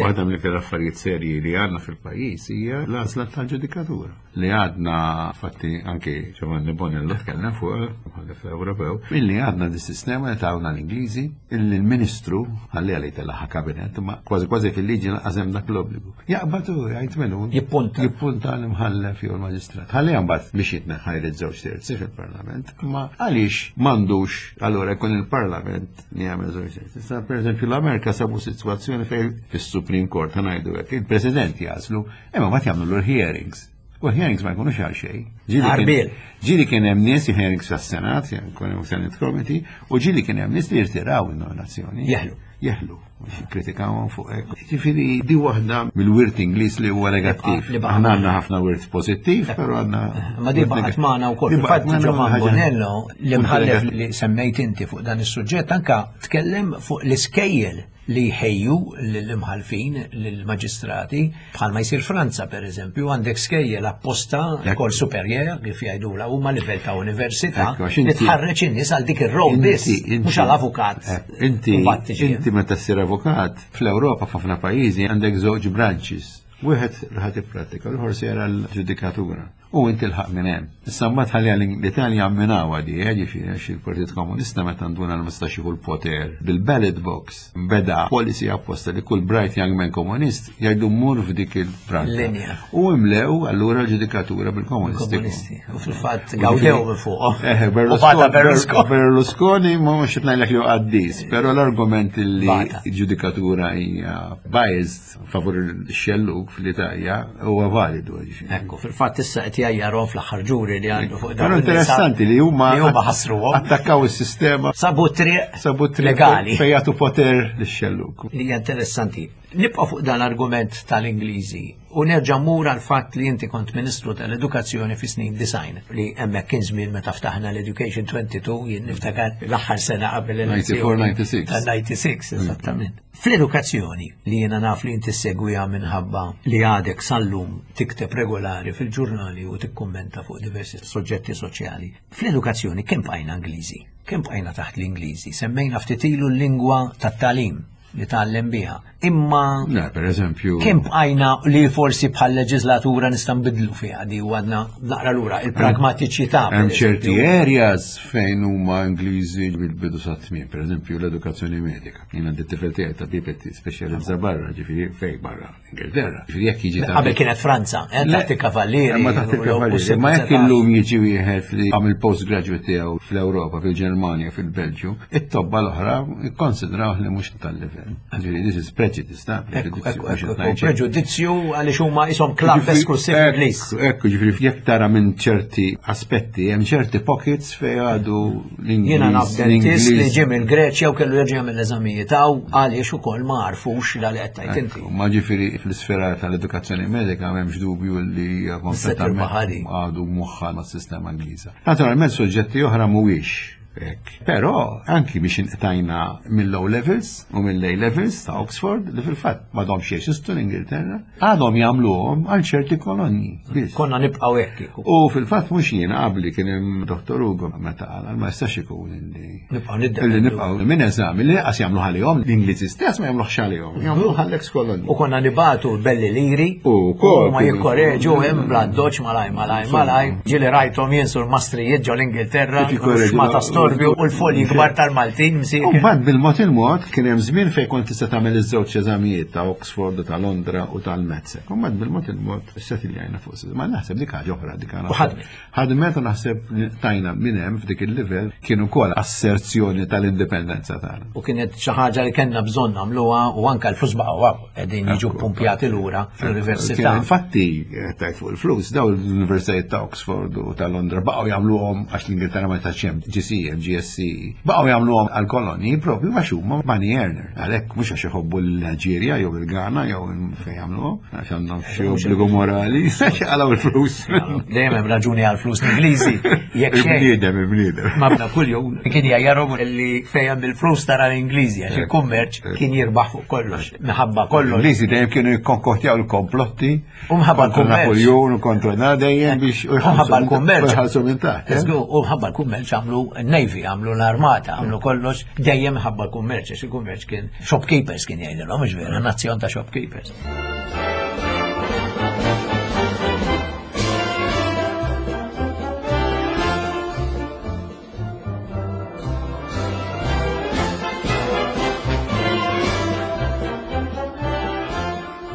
Waħda mill-iktar affarijiet serji li għandna fil-pajjiż hija l-għażla tal-ġudikatura. Li għadna fatti anke Giovanni Bonello tkellem fuq bħalef Ewropew, illi għadna di sistema li tawna l-Ingliżi illi l-Ministru ħalli għalej telaħa kabinet, ma kważi kważi fil-liġi lanqas hemm dak l-obbligu. Jaqbad u jgħid minnu. Jippunta. Jippunta l-imħallef jew l-maġistrat. Ħalli mbagħad biex jitneħħa jrid żewġ terzi fil-Parlament, imma għaliex m'għandux allura jkun il-Parlament li jagħmel żewġ terzi. Issa pereżempju l-Amerika sabu sitwazzjoni fejn fis-Supreme Court ħa ngħidu hekk, il-President jażlu, imma mbagħad jagħmlu l-hearings. U hearings ma jkunux għal xejn. Ġieli kien hemm nies hearings fis-Senat, jkun hemm Senate Committee, u ġieli kien hemm nies li jirtiraw in-nominazzjoni. Jeħlu. Jeħlu kritikawhom fuq hekk. Ġifieri di waħda mill-wirt Ingliż li huwa negattiv. Aħna għandna ħafna wirt pożittiv, però għandna. Ma di baqgħet magħna wkoll. Fil-fatt Giovanni Bonello li mħallef li semmejt inti fuq dan is-suġġett anka tkellem fuq l-iskejjel li jħejju lill-imħalfin, lill-maġistrati, bħalma jsir Franza per eżempju, għandek skejjel apposta école supérieure kif jgħidula huma livell ta' università li tħarreġ in-nies għal dik ir-rol biss, mhux għal avukat. Inti inti meta ssir avukat fl-Ewropa f'ħafna pajjiżi għandek żewġ branches. Wieħed li ħadd ipprattika, l-ieħor sejra l-ġudikatura. U inti l-ħaq minn hemm. Issa mbagħad ħalli l-Italja minnawa di, eh, ġifieri għax il-Partit Komunista meta nduna l mistax jieħu l-poter bil-ballot box beda policy apposta li kull bright young man komunist jgħidu mur f'dik il-branka. U imlew allura l-ġudikatura bil-komunisti. U fil-fatt gawdew minn fuq. Eh, Berlusconi, Berlusconi ma mhux qed ngħidlek li qaddis, però l-argument li ġudikatura hija biased favur il-xellug fl-Italja huwa validu. Ekku, fil-fatt issa qed qed jgħajjarhom fl-aħħar ġuri li għandu fuq dawn. Interessanti li huma li huma ħassruhom. Attakkaw is-sistema. Sabu triq sabu triq legali. Fejn jagħtu poter lix-xelluk. Li hija interessanti. Nibqa' fuq dan l-argument tal-Ingliżi u nerġa' mmur għal fatt li inti kont Ministru tal-Edukazzjoni fi snin design li hemmhekk kien żmien meta ftaħna l-Education 22 jien niftakar l-aħħar sena qabel l-elezzjoni. 94-96. Tal-96, eżattament. Fl-edukazzjoni li jiena naf li inti ssegwiha minħabba li għadek sal-lum tikteb regolari fil-ġurnali u tikkummenta fuq diversi soġġetti soċjali. Fl-edukazzjoni kemm bqajna Ingliżi? Kemm bqajna taħt l-Ingliżi? Semmejna ftit ilu l-lingwa tat-tagħlim li tgħallem biha. Imma Le, per eżempju. Kemm bqajna li forsi bħal leġislatura nista' nbidlu fiha di u għadna naqra lura il-pragmatiċità. Hemm ċerti areas fejn huma Ingliżi bil-bidu sa tmiem, per eżempju l-edukazzjoni medika. Jien għandi t-tifel tiegħi tabib qed speċjalizza barra, ġifieri fejn barra. Ingilterra. Ġifieri jekk jiġi Qabel kienet Franza, eh, taħt il-kavallieri. Ma taħt il-kavallieri. Ma jekk illum jiġi wieħed li għamil postgraduate tiegħu fl-Ewropa, fil-Ġermanja, fil-Belġju, it-tobba l-oħra ikkonsidraw li mhux tal-livell. Ġifieri this is prejudice, ta' preġudizzju għaliex huma ishom klabb esklusiv Ingliż. Ekku, ġifieri jekk tara minn ċerti aspetti, hemm ċerti pockets fejn għadu l-Ingliż. Jiena naf dentist li ġie mill-Greċja u kellu jerġa' jagħmel l-eżamijiet hawn għaliex ukoll ma għarfux dal qed tgħid inti. Ma ġifieri fl-isfera tal-edukazzjoni medika m'hemmx dubju li hija kompletament għadu moħħa mas-sistema Ingliża. Naturalment suġġetti oħra mhuwiex hekk. Però anki biex inqtajna mill-O levels u mill-A levels ta' Oxford li fil-fatt m'għadhomx jeżistu l-Ingilterra, għadhom jagħmluhom għal ċerti kolonni. Konna nibqgħu hekk kieku. U fil-fatt mhux jien qabli kien hemm Dottor Ugo meta qal ma jistax ikun illi nibqgħu niddependu. Illi nibqgħu minn eżami li qas jagħmlu ħalihom l-Ingliżi stess ma jagħmluhx għalihom, jagħmluh għall-ex kolonni. U konna nibatu belli liri u ma jikkoreġu hemm bla doċ malaj malaj malaj. Ġieli rajthom jien sur mastrijiet ġol Ingilterra ma ta' storbju u l-folji kbar tal-Maltin msiekin. U mbagħad bil-mod il-mod kien hemm żmien fejn kont tista' tagħmel iż-żewġ eżamijiet ta' Oxford u ta' Londra u tal-Metzek. U mbagħad bil-mod il-mod settiljajna fuq Ma naħseb dik ħaġa oħra dik għana. Ħadmet. Ħadmet u naħseb tajna minn hemm f'dik il-livell kien ukoll asserzjoni tal-indipendenza tagħna. U kienet xi ħaġa li kellna bżonn nagħmluha u anke l-flus baqgħu qegħdin jiġu pumpjati lura fl-università. Infatti, tajt fuq il-flus, daw l-universitajiet ta' Oxford u ta' Londra baqgħu jagħmluhom għax l-Ingilterra ma tax hemm GCE, GSC, baqgħu jagħmluhom għall-kolonji propju għax huma money earner. Għalhekk mhux għax iħobbu l-Alġerja jew il-Ghana jew fejn jagħmluhom, għax għandhom xi obbligu morali, għax jaqalgħu il-flus. Dejjem hemm raġuni għall-flus l-Ingliżi. Jekk xejn. Il-bniedem, il-bniedem. Ma bna kuljum kien jgħajjarhom li fejn hemm il-flus tara l-Ingliżi għax il-kummerċ kien jirbaħ fuq kollox, minħabba kollox. L-Ingliżi dejjem kienu jikkonkottjaw il-komplotti U mħabba l-kummerċ. Napoleon u kontra na dejjem biex u mħabba l-kummerċ. Ħalsu minn taħt. Eh? U mħabba l-kummerċ għamlu Navy, għamlu l-armata, għamlu kollox dejjem mħabba l-kummerċ, għax il-kummerċ kien shopkeepers kien jgħidilhom, mhux vera, nazzjon ta' shopkeepers.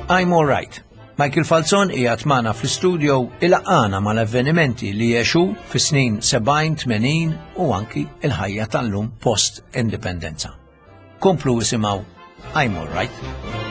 I'm all right. Michael Falzon qiegħed magħna fl-istudio ilaqqana mal-avvenimenti li għexu fis-snin 70, 80 u anki il-ħajja tal-lum post-indipendenza. Komplu isimgħu I'm all right.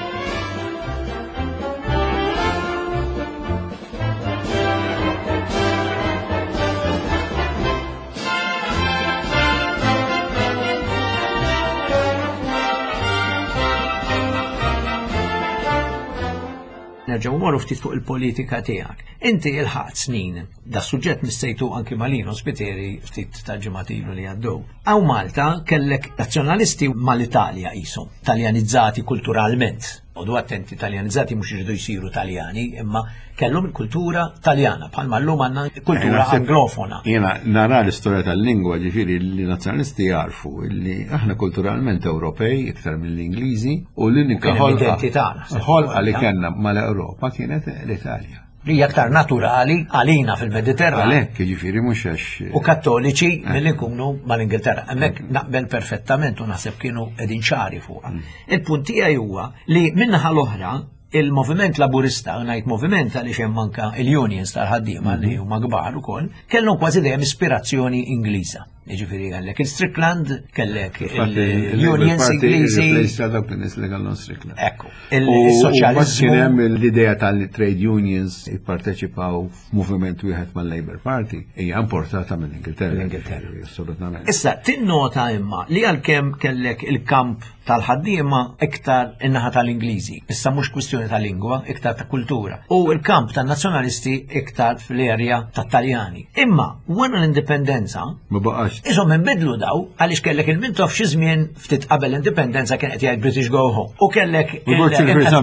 Nerġgħu morru ftit fuq il-politika tiegħek. Inti il-ħadd snin, da suġġett missejtu anki Malino Spiteri ftit ta' ġimgħat ilu li għaddew. Hawn Malta kellek nazzjonalisti mal-Italja qishom, Taljanizzati kulturalment. Odu attenti, Taljanizzati mhux iridu jsiru Taljani, imma kellhom il-kultura Taljana, bħalma llum għandna kultura anglofona. Jiena nara l-istorja tal-lingwa, ġifieri li nazzjonalisti jarfu li aħna kulturalment Ewropej iktar mill-Ingliżi u l-unika ħolqa li kellna mal-Ewropa kienet l-Italja. Li hija aktar naturali għalina fil-Mediterran. Għalhekk, jiġifieri mhux għax. U kattoliċi eh. milli nkunu mal-Ingilterra. Hemmhekk eh. naqbel perfettament u naħseb kienu qegħdin ċari fuqha. Mm. Il-punt tiegħi huwa li minnaħa l-oħra il-moviment laburista, ngħid moviment għaliex hemm anka il-unions tal-ħaddiema li mm-hmm. huma kbar ukoll, kellhom kważi dejjem ispirazzjoni Ingliża. Jiġifieri kellek il-Strickland, kellek il-Unions Ingliżi. Dawk in-nies li kellhom Strickland. Ekku. Il-soċjaliżmu. Kien hemm l-idea tal-trade unions jipparteċipaw f'moviment wieħed mal-Labour Party hija importata mill-Ingilterra. L-Ingilterra. Assolutament. Issa tinnota imma li għalkemm kellek il-kamp tal-ħaddiema iktar in-naħa tal-Ingliżi. Issa mhux kwistjoni ta' lingwa, iktar ta' kultura. U l-kamp tan-nazzjonalisti iktar fl-erja tat-Taljani. Imma wara l-indipendenza, ma baqax. Isom inbidlu daw għaliex kellek il-Mintoff xi żmien ftit qabel l-indipendenza kien qed jgħid British Go Home. U kellek il-Reġina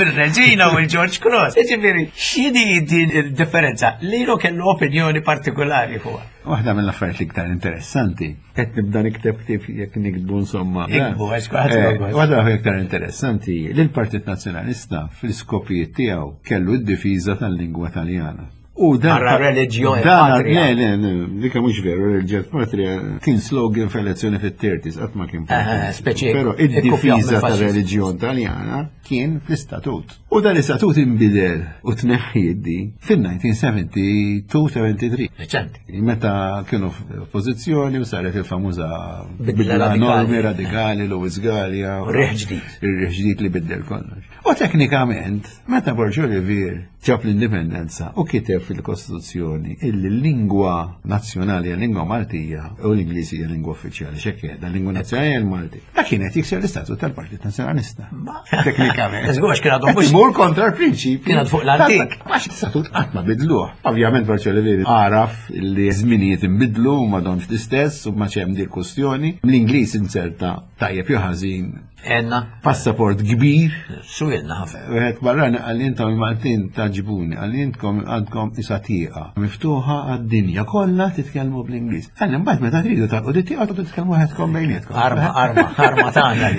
il-Reġina u l-George Cross. Jiġifieri, x'inhi din il-differenza? Lilu kellu opinjoni partikolari fuqha. Waħda mill-affarijiet l-iktar interessanti Qed nibda nikteb ktieb jekk niktbu insomma. Iktbu, għax kulħadd eh, jogħgħod. Waħda iktar interessanti li l-Partit Nazzjonalista fl-iskopijiet tiegħu kellu d-difiża tal-lingwa Taljana. U dan. Barra reliġjon. Dan, le, le, le, dika mhux veru, reliġjon patria kien slogan f'elezzjoni fit-30s, qatt ma kien. Eh, speċi. Però id-difiża tal-reliġjon Taljana kien fl-istatut. U dan l-istatut inbidel u tneħħi fin-1972-73. Reċenti. Meta kienu f'oppożizzjoni u saret il-famuża bidla normi radikali Louis Gallia. U riħ ġdid. Ir-riħ ġdid li biddel kollox. U teknikament, meta Borġ Olivier ġab l-indipendenza u kiteb fil-Kostituzzjoni illi l-lingwa nazzjonali hija lingwa Maltija u l-Ingliż hija lingwa uffiċjali, x'hekk qiegħda, l-lingwa nazzjonali hija l-Malti. Da kienet jikser l-istatut tal-Partit Nazzjonalista. Teknikament. Żgur kien għadhom mhux. Imur kontra l-prinċipji. Kien fuq l-antik. Għax l-istatut qatt ma bidluh. Ovvjament Barċelli għaraf li żminijiet inbidlu u m'għadhomx l-istess u ma hemm dik kwestjoni. L-Ingliż inserta tajjeb jew ħażin Enna. Passaport kbir. Suwilna ħafna. Wieħed barrani qalli intom il-Maltin taġbuni, qalli intkom għandkom isa tieqa miftuħa għad-dinja kollha titkellmu bl-Ingliż. Qalli mbagħad meta tridu tagħlqu di tieqa titkellmu waħedkom bejnietkom. Arma, arma, arma tagħna.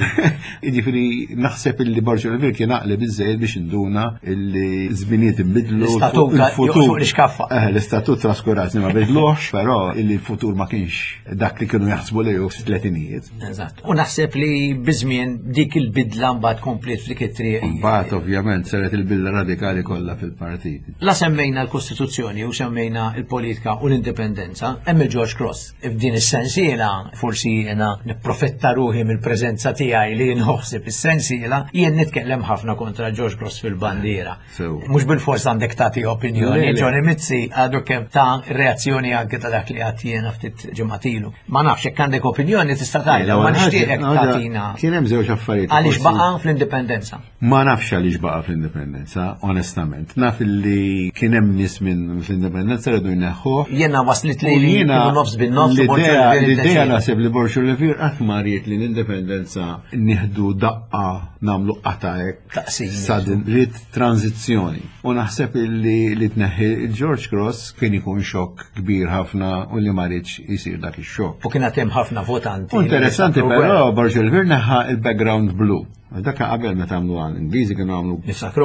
Jiġifieri naħseb illi Borġ Olivier kien għaqli biżżejjed biex induna illi żminijiet inbidlu. L-istatut il-futur. l-iskaffa. Eh, l-istatut traskurat ma bidluhx, però illi l-futur ma kienx dak li kienu jaħsbu li hu fit-tletinijiet. Eżatt. U naħseb li biżmien dik il-bidla mbagħad kompliet f'dik it-triq. Mbagħad ovvjament saret il-bidla radikali kollha fil-partit. La semmejna l-Kostituzzjoni u semmejna l-politika u l-indipendenza, hemm il-George Cross. F'din is-sensiela, forsi jiena nipprofetta ruħi mill-preżenza tiegħi li nħossib is-sensiela, jien nitkellem ħafna kontra George Cross fil-bandiera. Mhux bil-fors għandek tagħti opinjoni, Johnny Mizzi għadu kemm ta' reazzjoni anke ta' dak li għad jiena ftit ġimgħatilu. Ma nafx jekk għandek opinjoni tista' tgħidha, ma nixtieqek tagħtina. Kien hemm żewġ affarijiet. Għaliex baqa' fl-indipendenza? Ma nafx għaliex baqa' fl-indipendenza, onestament. Naf li kien hemm nies minn fl-indipendenza rridu jneħħuh. Jiena waslit li jiena nofs bin-nofs. L-idea naħseb li Borxu Levir qatt ma ried li l-indipendenza nieħdu daqqa nagħmlu qata hekk. Taqsim. Sudden ried tranzizzjoni. U naħseb li li tneħħi George Cross kien ikun xokk kbir ħafna u li ma riedx isir dak ix-xokk. U kien hemm ħafna votanti. Interessanti però Borġ Olivier neħħa il-background blu. Dak qabel meta għamlu għal Ingliżi kienu għamlu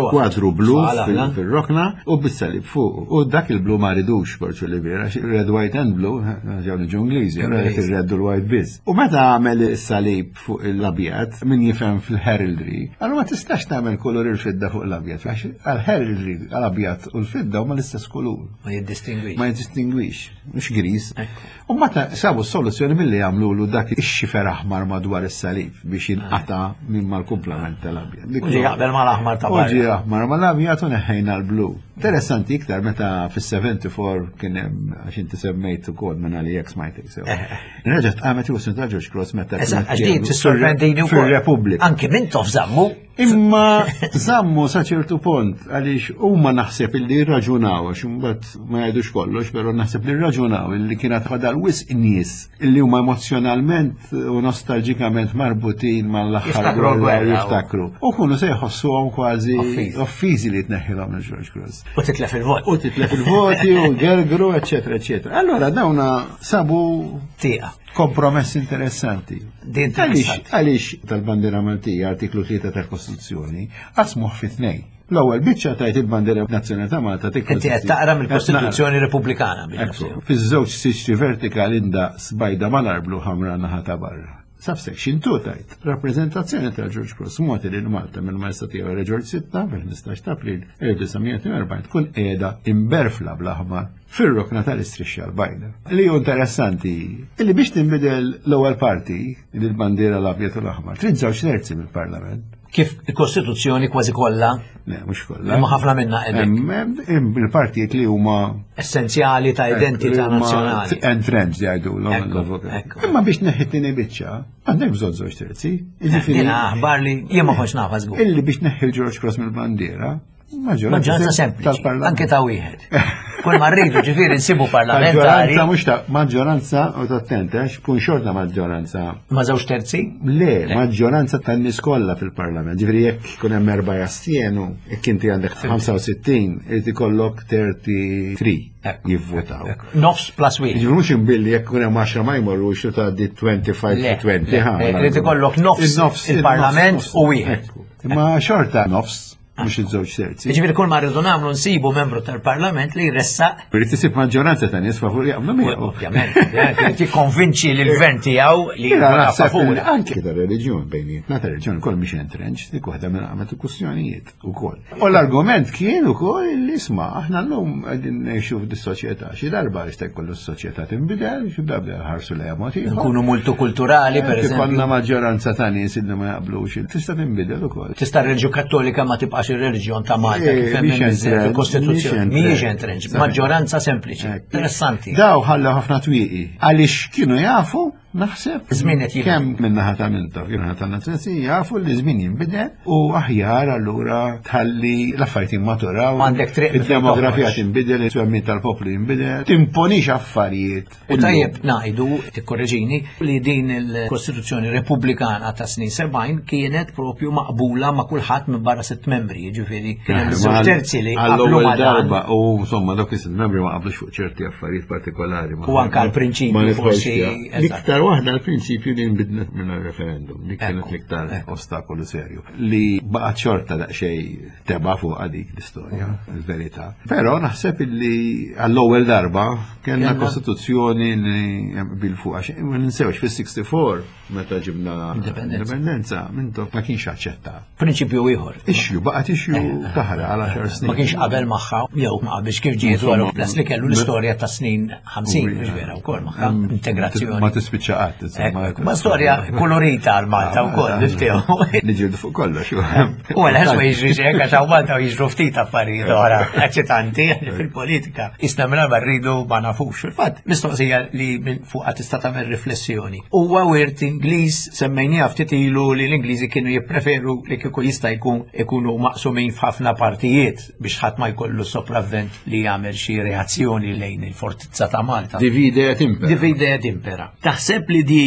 kwadru blu fil-rokna u bis-salib fuq. U dak il-blu ma ridux Borġ Olivier għax red, white and blue, ġew niġu Ingliżi, il-red u l-white biss. U meta għamel is-salib fuq l-abjad, min jifhem fil-heraldry, allura ma tistax tagħmel kulur il-fidda fuq l-abjad, għax għal-heraldry għal-abjad u l-fidda huma l-istess kulur. Ma jiddistingwix. Ma jiddistingwix, mhux griż. U meta sabu s-soluzzjoni milli jagħmlulu dak ix-xifer aħmar madwar is-salib biex jinqata' minn mal-kumplament tal-abjad. U ġie jaqbel mal-aħmar ta' U ġie aħmar mal-abjad u neħħejna l-blu. Interessanti iktar meta fis-74 kien hemm għax inti semmejt ukoll minn għalija smajtek sew. Reġgħet qamet il ta' George Cross meta Eżatt, għax din tissorprendini wkoll. Fir-Repubblika. Anki minn tof żammu. Imma żammu sa ċertu punt għaliex huma naħseb illi rraġunaw għax imbagħad ma jgħidux kollox, però naħseb li rraġunaw illi kienet fadal wisq nies illi huma emozjonalment u nostalġikament marbutin mal-aħħar gwerra jiftakru. U kunu se jħossuhom kważi offiżi li tneħħilhom il-George Cross. U titlef il-vot. U titlef il-voti u gergru, eċetera, eċetera. Allora dawna sabu tieqa. Kompromess interessanti. Din interessanti. Għaliex tal-bandiera Maltija, artiklu 3 tal-Kostituzzjoni, qasmuh fi tnejn. L-ewwel biċċa tajt il-bandiera nazzjonali ta' Malta Inti qed taqra mill-Kostituzzjoni Repubblikana biex. Fiż-żewġ siċċi vertikali ndaqs bajda mal-arblu ħamra naħa ta' barra. Subsection 2 tajt, rappreżentazzjoni tal-George Cross mogħti lil Malta mill-Majestà Tiegħu Re George VI fil-15 ta' April 1942 tkun qiegħda imberfla bl-aħmar fir-rokna tal-istrixxa l-bajda. Li hu interessanti, li biex tinbidel l-ewwel parti, li l-bandiera l-abjad u l-aħmar, trid żewġ terzi mill-Parlament. Kif il-Kostituzzjoni kważi kollha? Le, mhux kollha. Imma ħafna minnha qegħdin. Il-partijiet li huma essenzjali ta' identità nazzjonali. Entrenched jgħidu l-avukat. Imma biex neħħi tieni biċċa, għandek bżonn żewġ terzi. Jiġifieri aħbar li jien ma kontx nafha żgur. Illi biex neħħi l-George Cross mill-bandiera, Maġġoranza sempliċi, anke ta' wieħed. Kull ma rridu ġifieri nsibu parlamentari. Maġġoranza mhux ta' maġġoranza u attenta għax kun xorta maġġoranza. Ma' żewġ terzi? Le, maġġoranza tan-nies kollha fil-parlament. Ġifieri jekk ikun hemm erba' jastienu, jekk inti għandek 65, irid ikollok 33 jivvotaw. Nofs plus wieħed. Ġifieri mhux imbilli jekk ikun hemm 10 ma jmorrux u tgħaddi 25 20. Irid ikollok nofs il-parlament u wieħed. Imma xorta nofs mhux iż-żewġ terzi. Jiġifieri kull ma rridu nagħmlu nsibu membru tal-Parlament li jressaq. Irid isib maġġoranza ta' nies favur jaqblu miegħu. Ovvjament, irid jikkonvinċi lil gvern tiegħu li favur. Anke ta' reliġjon bejnietna ta' reliġjon ukoll mhix entrench, dik waħda minn qamet il-kwistjonijiet ukoll. U l-argument kien ukoll li isma' aħna llum qegħdin ngħixu f'dis-soċjetà, xi darba jista' jkollu s-soċjetà tinbidel, xi darba ħarsu lejha mod ieħor. Nkunu multikulturali per eżempju. Konna maġġoranza ta' nies li ma jaqblux, tista' tinbidel ukoll. Tista' r-reliġjon Kattolika ma tibqax ir-reliġjon ta' Malta eh, kif hemm fil-Kostituzzjoni. Mhijiex entrenched, maġġoranza sempliċi. Interessanti. Daw ħallew ħafna twieqi għaliex kienu jafu naħseb. Żmien qed jibdel. Kemm min-naħa ta' Mintoff, jew naħa ta' Nazzjonalisti jafu li żmien jinbidel u aħjar allura tħalli l-affarijiet jimmaturaw. Għandek triq Id-demografija tinbidel, it-twemmin tal-poplu jinbidel, timponix affarijiet. U tajjeb ngħidu, tikkorreġini, li din il-Kostituzzjoni Repubblikana ta' snin 70 kienet propju maqbula ma' kulħadd minn barra sitt membri, jiġifieri kien hemm żewġ terzi li qablu ma' dan. darba u insomma dawk is-sitt membri ma qablux fuq ċerti affarijiet partikolari. U anke l-prinċipju forsi. L-iktar waħda l-prinċipju li nbidlet minn referendum, dik kienet l-iktar ostakolu serju li baqgħet xorta daqsxejn teba fuq dik l-istorja, il-verità. Però naħseb illi għall-ewwel darba kellna kostituzzjoni li bil fuq għax ma ninsewx fis-64 meta ġibna indipendenza mintoff ma kienx aċċetta. Prinċipju ieħor. Issue, baqgħet issue eh, taħra għal 10 snin. Ma kienx qabel magħha jew ma qabilx kif ġiet wara plus li kellu l-istorja ta' snin 50 biex vera wkoll magħha integrazzjoni. Ma tispiċċa qatt. Ma storja kolorita għal Malta wkoll niftehmu. Niġildu fuq kollox. U għal ma jiġri xejn għax hawn Malta u jiġru ftit affarijiet oħra eċitanti fil-politika. Isna minn ma rridu ma nafux. Fil-fatt, mistoqsija li minn fuqha tista' tagħmel riflessjoni. Huwa wirt Ingliż semmejniha ftit ilu li l-Ingliżi kienu jippreferu li kieku jista' jkun ikunu maqsumin f'ħafna partijiet biex ħadd ma jkollu sopravvent li jagħmel xi reazzjoni lejn il-fortizza ta' Malta. Divide et impera. Divide et impera. Taħseb li di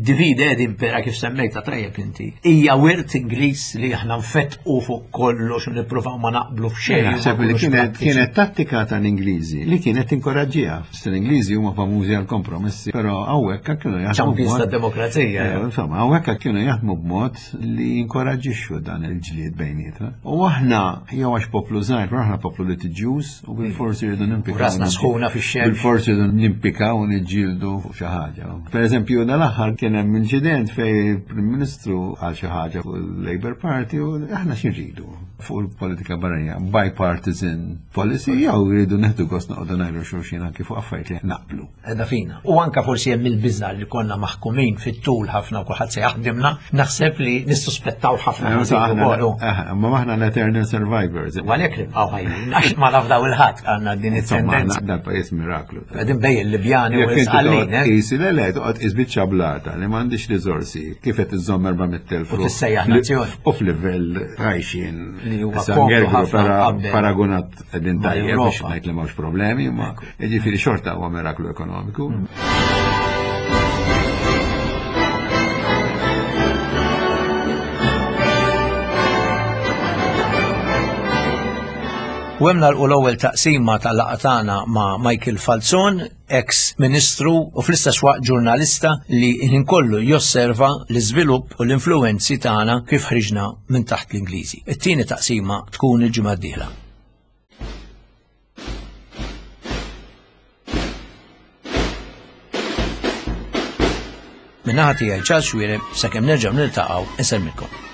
divide et impera kif semmejta tajjeb inti, hija wirt Ingliż li aħna nfettqu fuq kollox u nippruvaw ma naqblu f'xejn. Naħseb li kienet kienet tattika tal-Ingliżi li kienet tinkoraġġiha. L-Ingliżi huma famużi għal kompromessi, però hawnhekk kienu jaħdmu. Champions tad-demokrazija. Eh, insomma, hawnhekk kienu jaħdmu b'mod li jinkoraġġixxu dan il-ġlied bejnietna. U aħna, jew għax poplu żgħir, però aħna poplu litiġjuż u bil-forsi rridu nimpikaw. Rasna sħuna fix-xemx. Bil-forsi rridu nimpikaw u niġġieldu fuq xi ħaġa. Per eżempju, dal-aħħar kien hemm inċident fejn il-Prim Ministru għal xi ħaġa fuq il-Labour Party u aħna xi rridu fuq il-politika barranija, bipartisan policy jew rridu neħdu gost noqogħdu ngħidu xulxin anki fuq affarijiet li naqblu. Edha fina. U anka forsi hemm il-biża li konna maħkumin fit-tul ħafna u kulħadd se jaħdimna, naħseb li nissuspettaw ħafna. Eh, ma aħna l-eternal survivors. U għalhekk nibqgħu ħajjin, għax ma nafdaw il-ħadd għandna din it-tendenza. Dan pajjiż miraklu. Qegħdin bej il-Libjani u l-Isqallin. Eh? Isi le le, toqgħod qis biċċa blata li m'għandix riżorsi kif qed iżżomm 400,000. U tissejjaħ nazzjoni. U f'livell għajxin. Li huwa ħafna paragunat Qegħdin tajjeb biex ngħid li m'hawnx problemi, imma jiġifieri xorta huwa miraklu ekonomiku. Mm. U hemm nagħlqu l-ewwel taqsima tal-laqgħa tagħna ma' Michael Falzon, ex ministru u fl-istess waqt ġurnalista li ħin kollu josserva l-iżvilupp u l-influwenzi tagħna kif ħriġna minn taħt l-Ingliżi. It-tieni taqsima tkun il-ġimgħa d-dieħla. Min-naħa tiegħi Charles Xuereb sakemm nerġgħu niltaqgħu insellmilkom.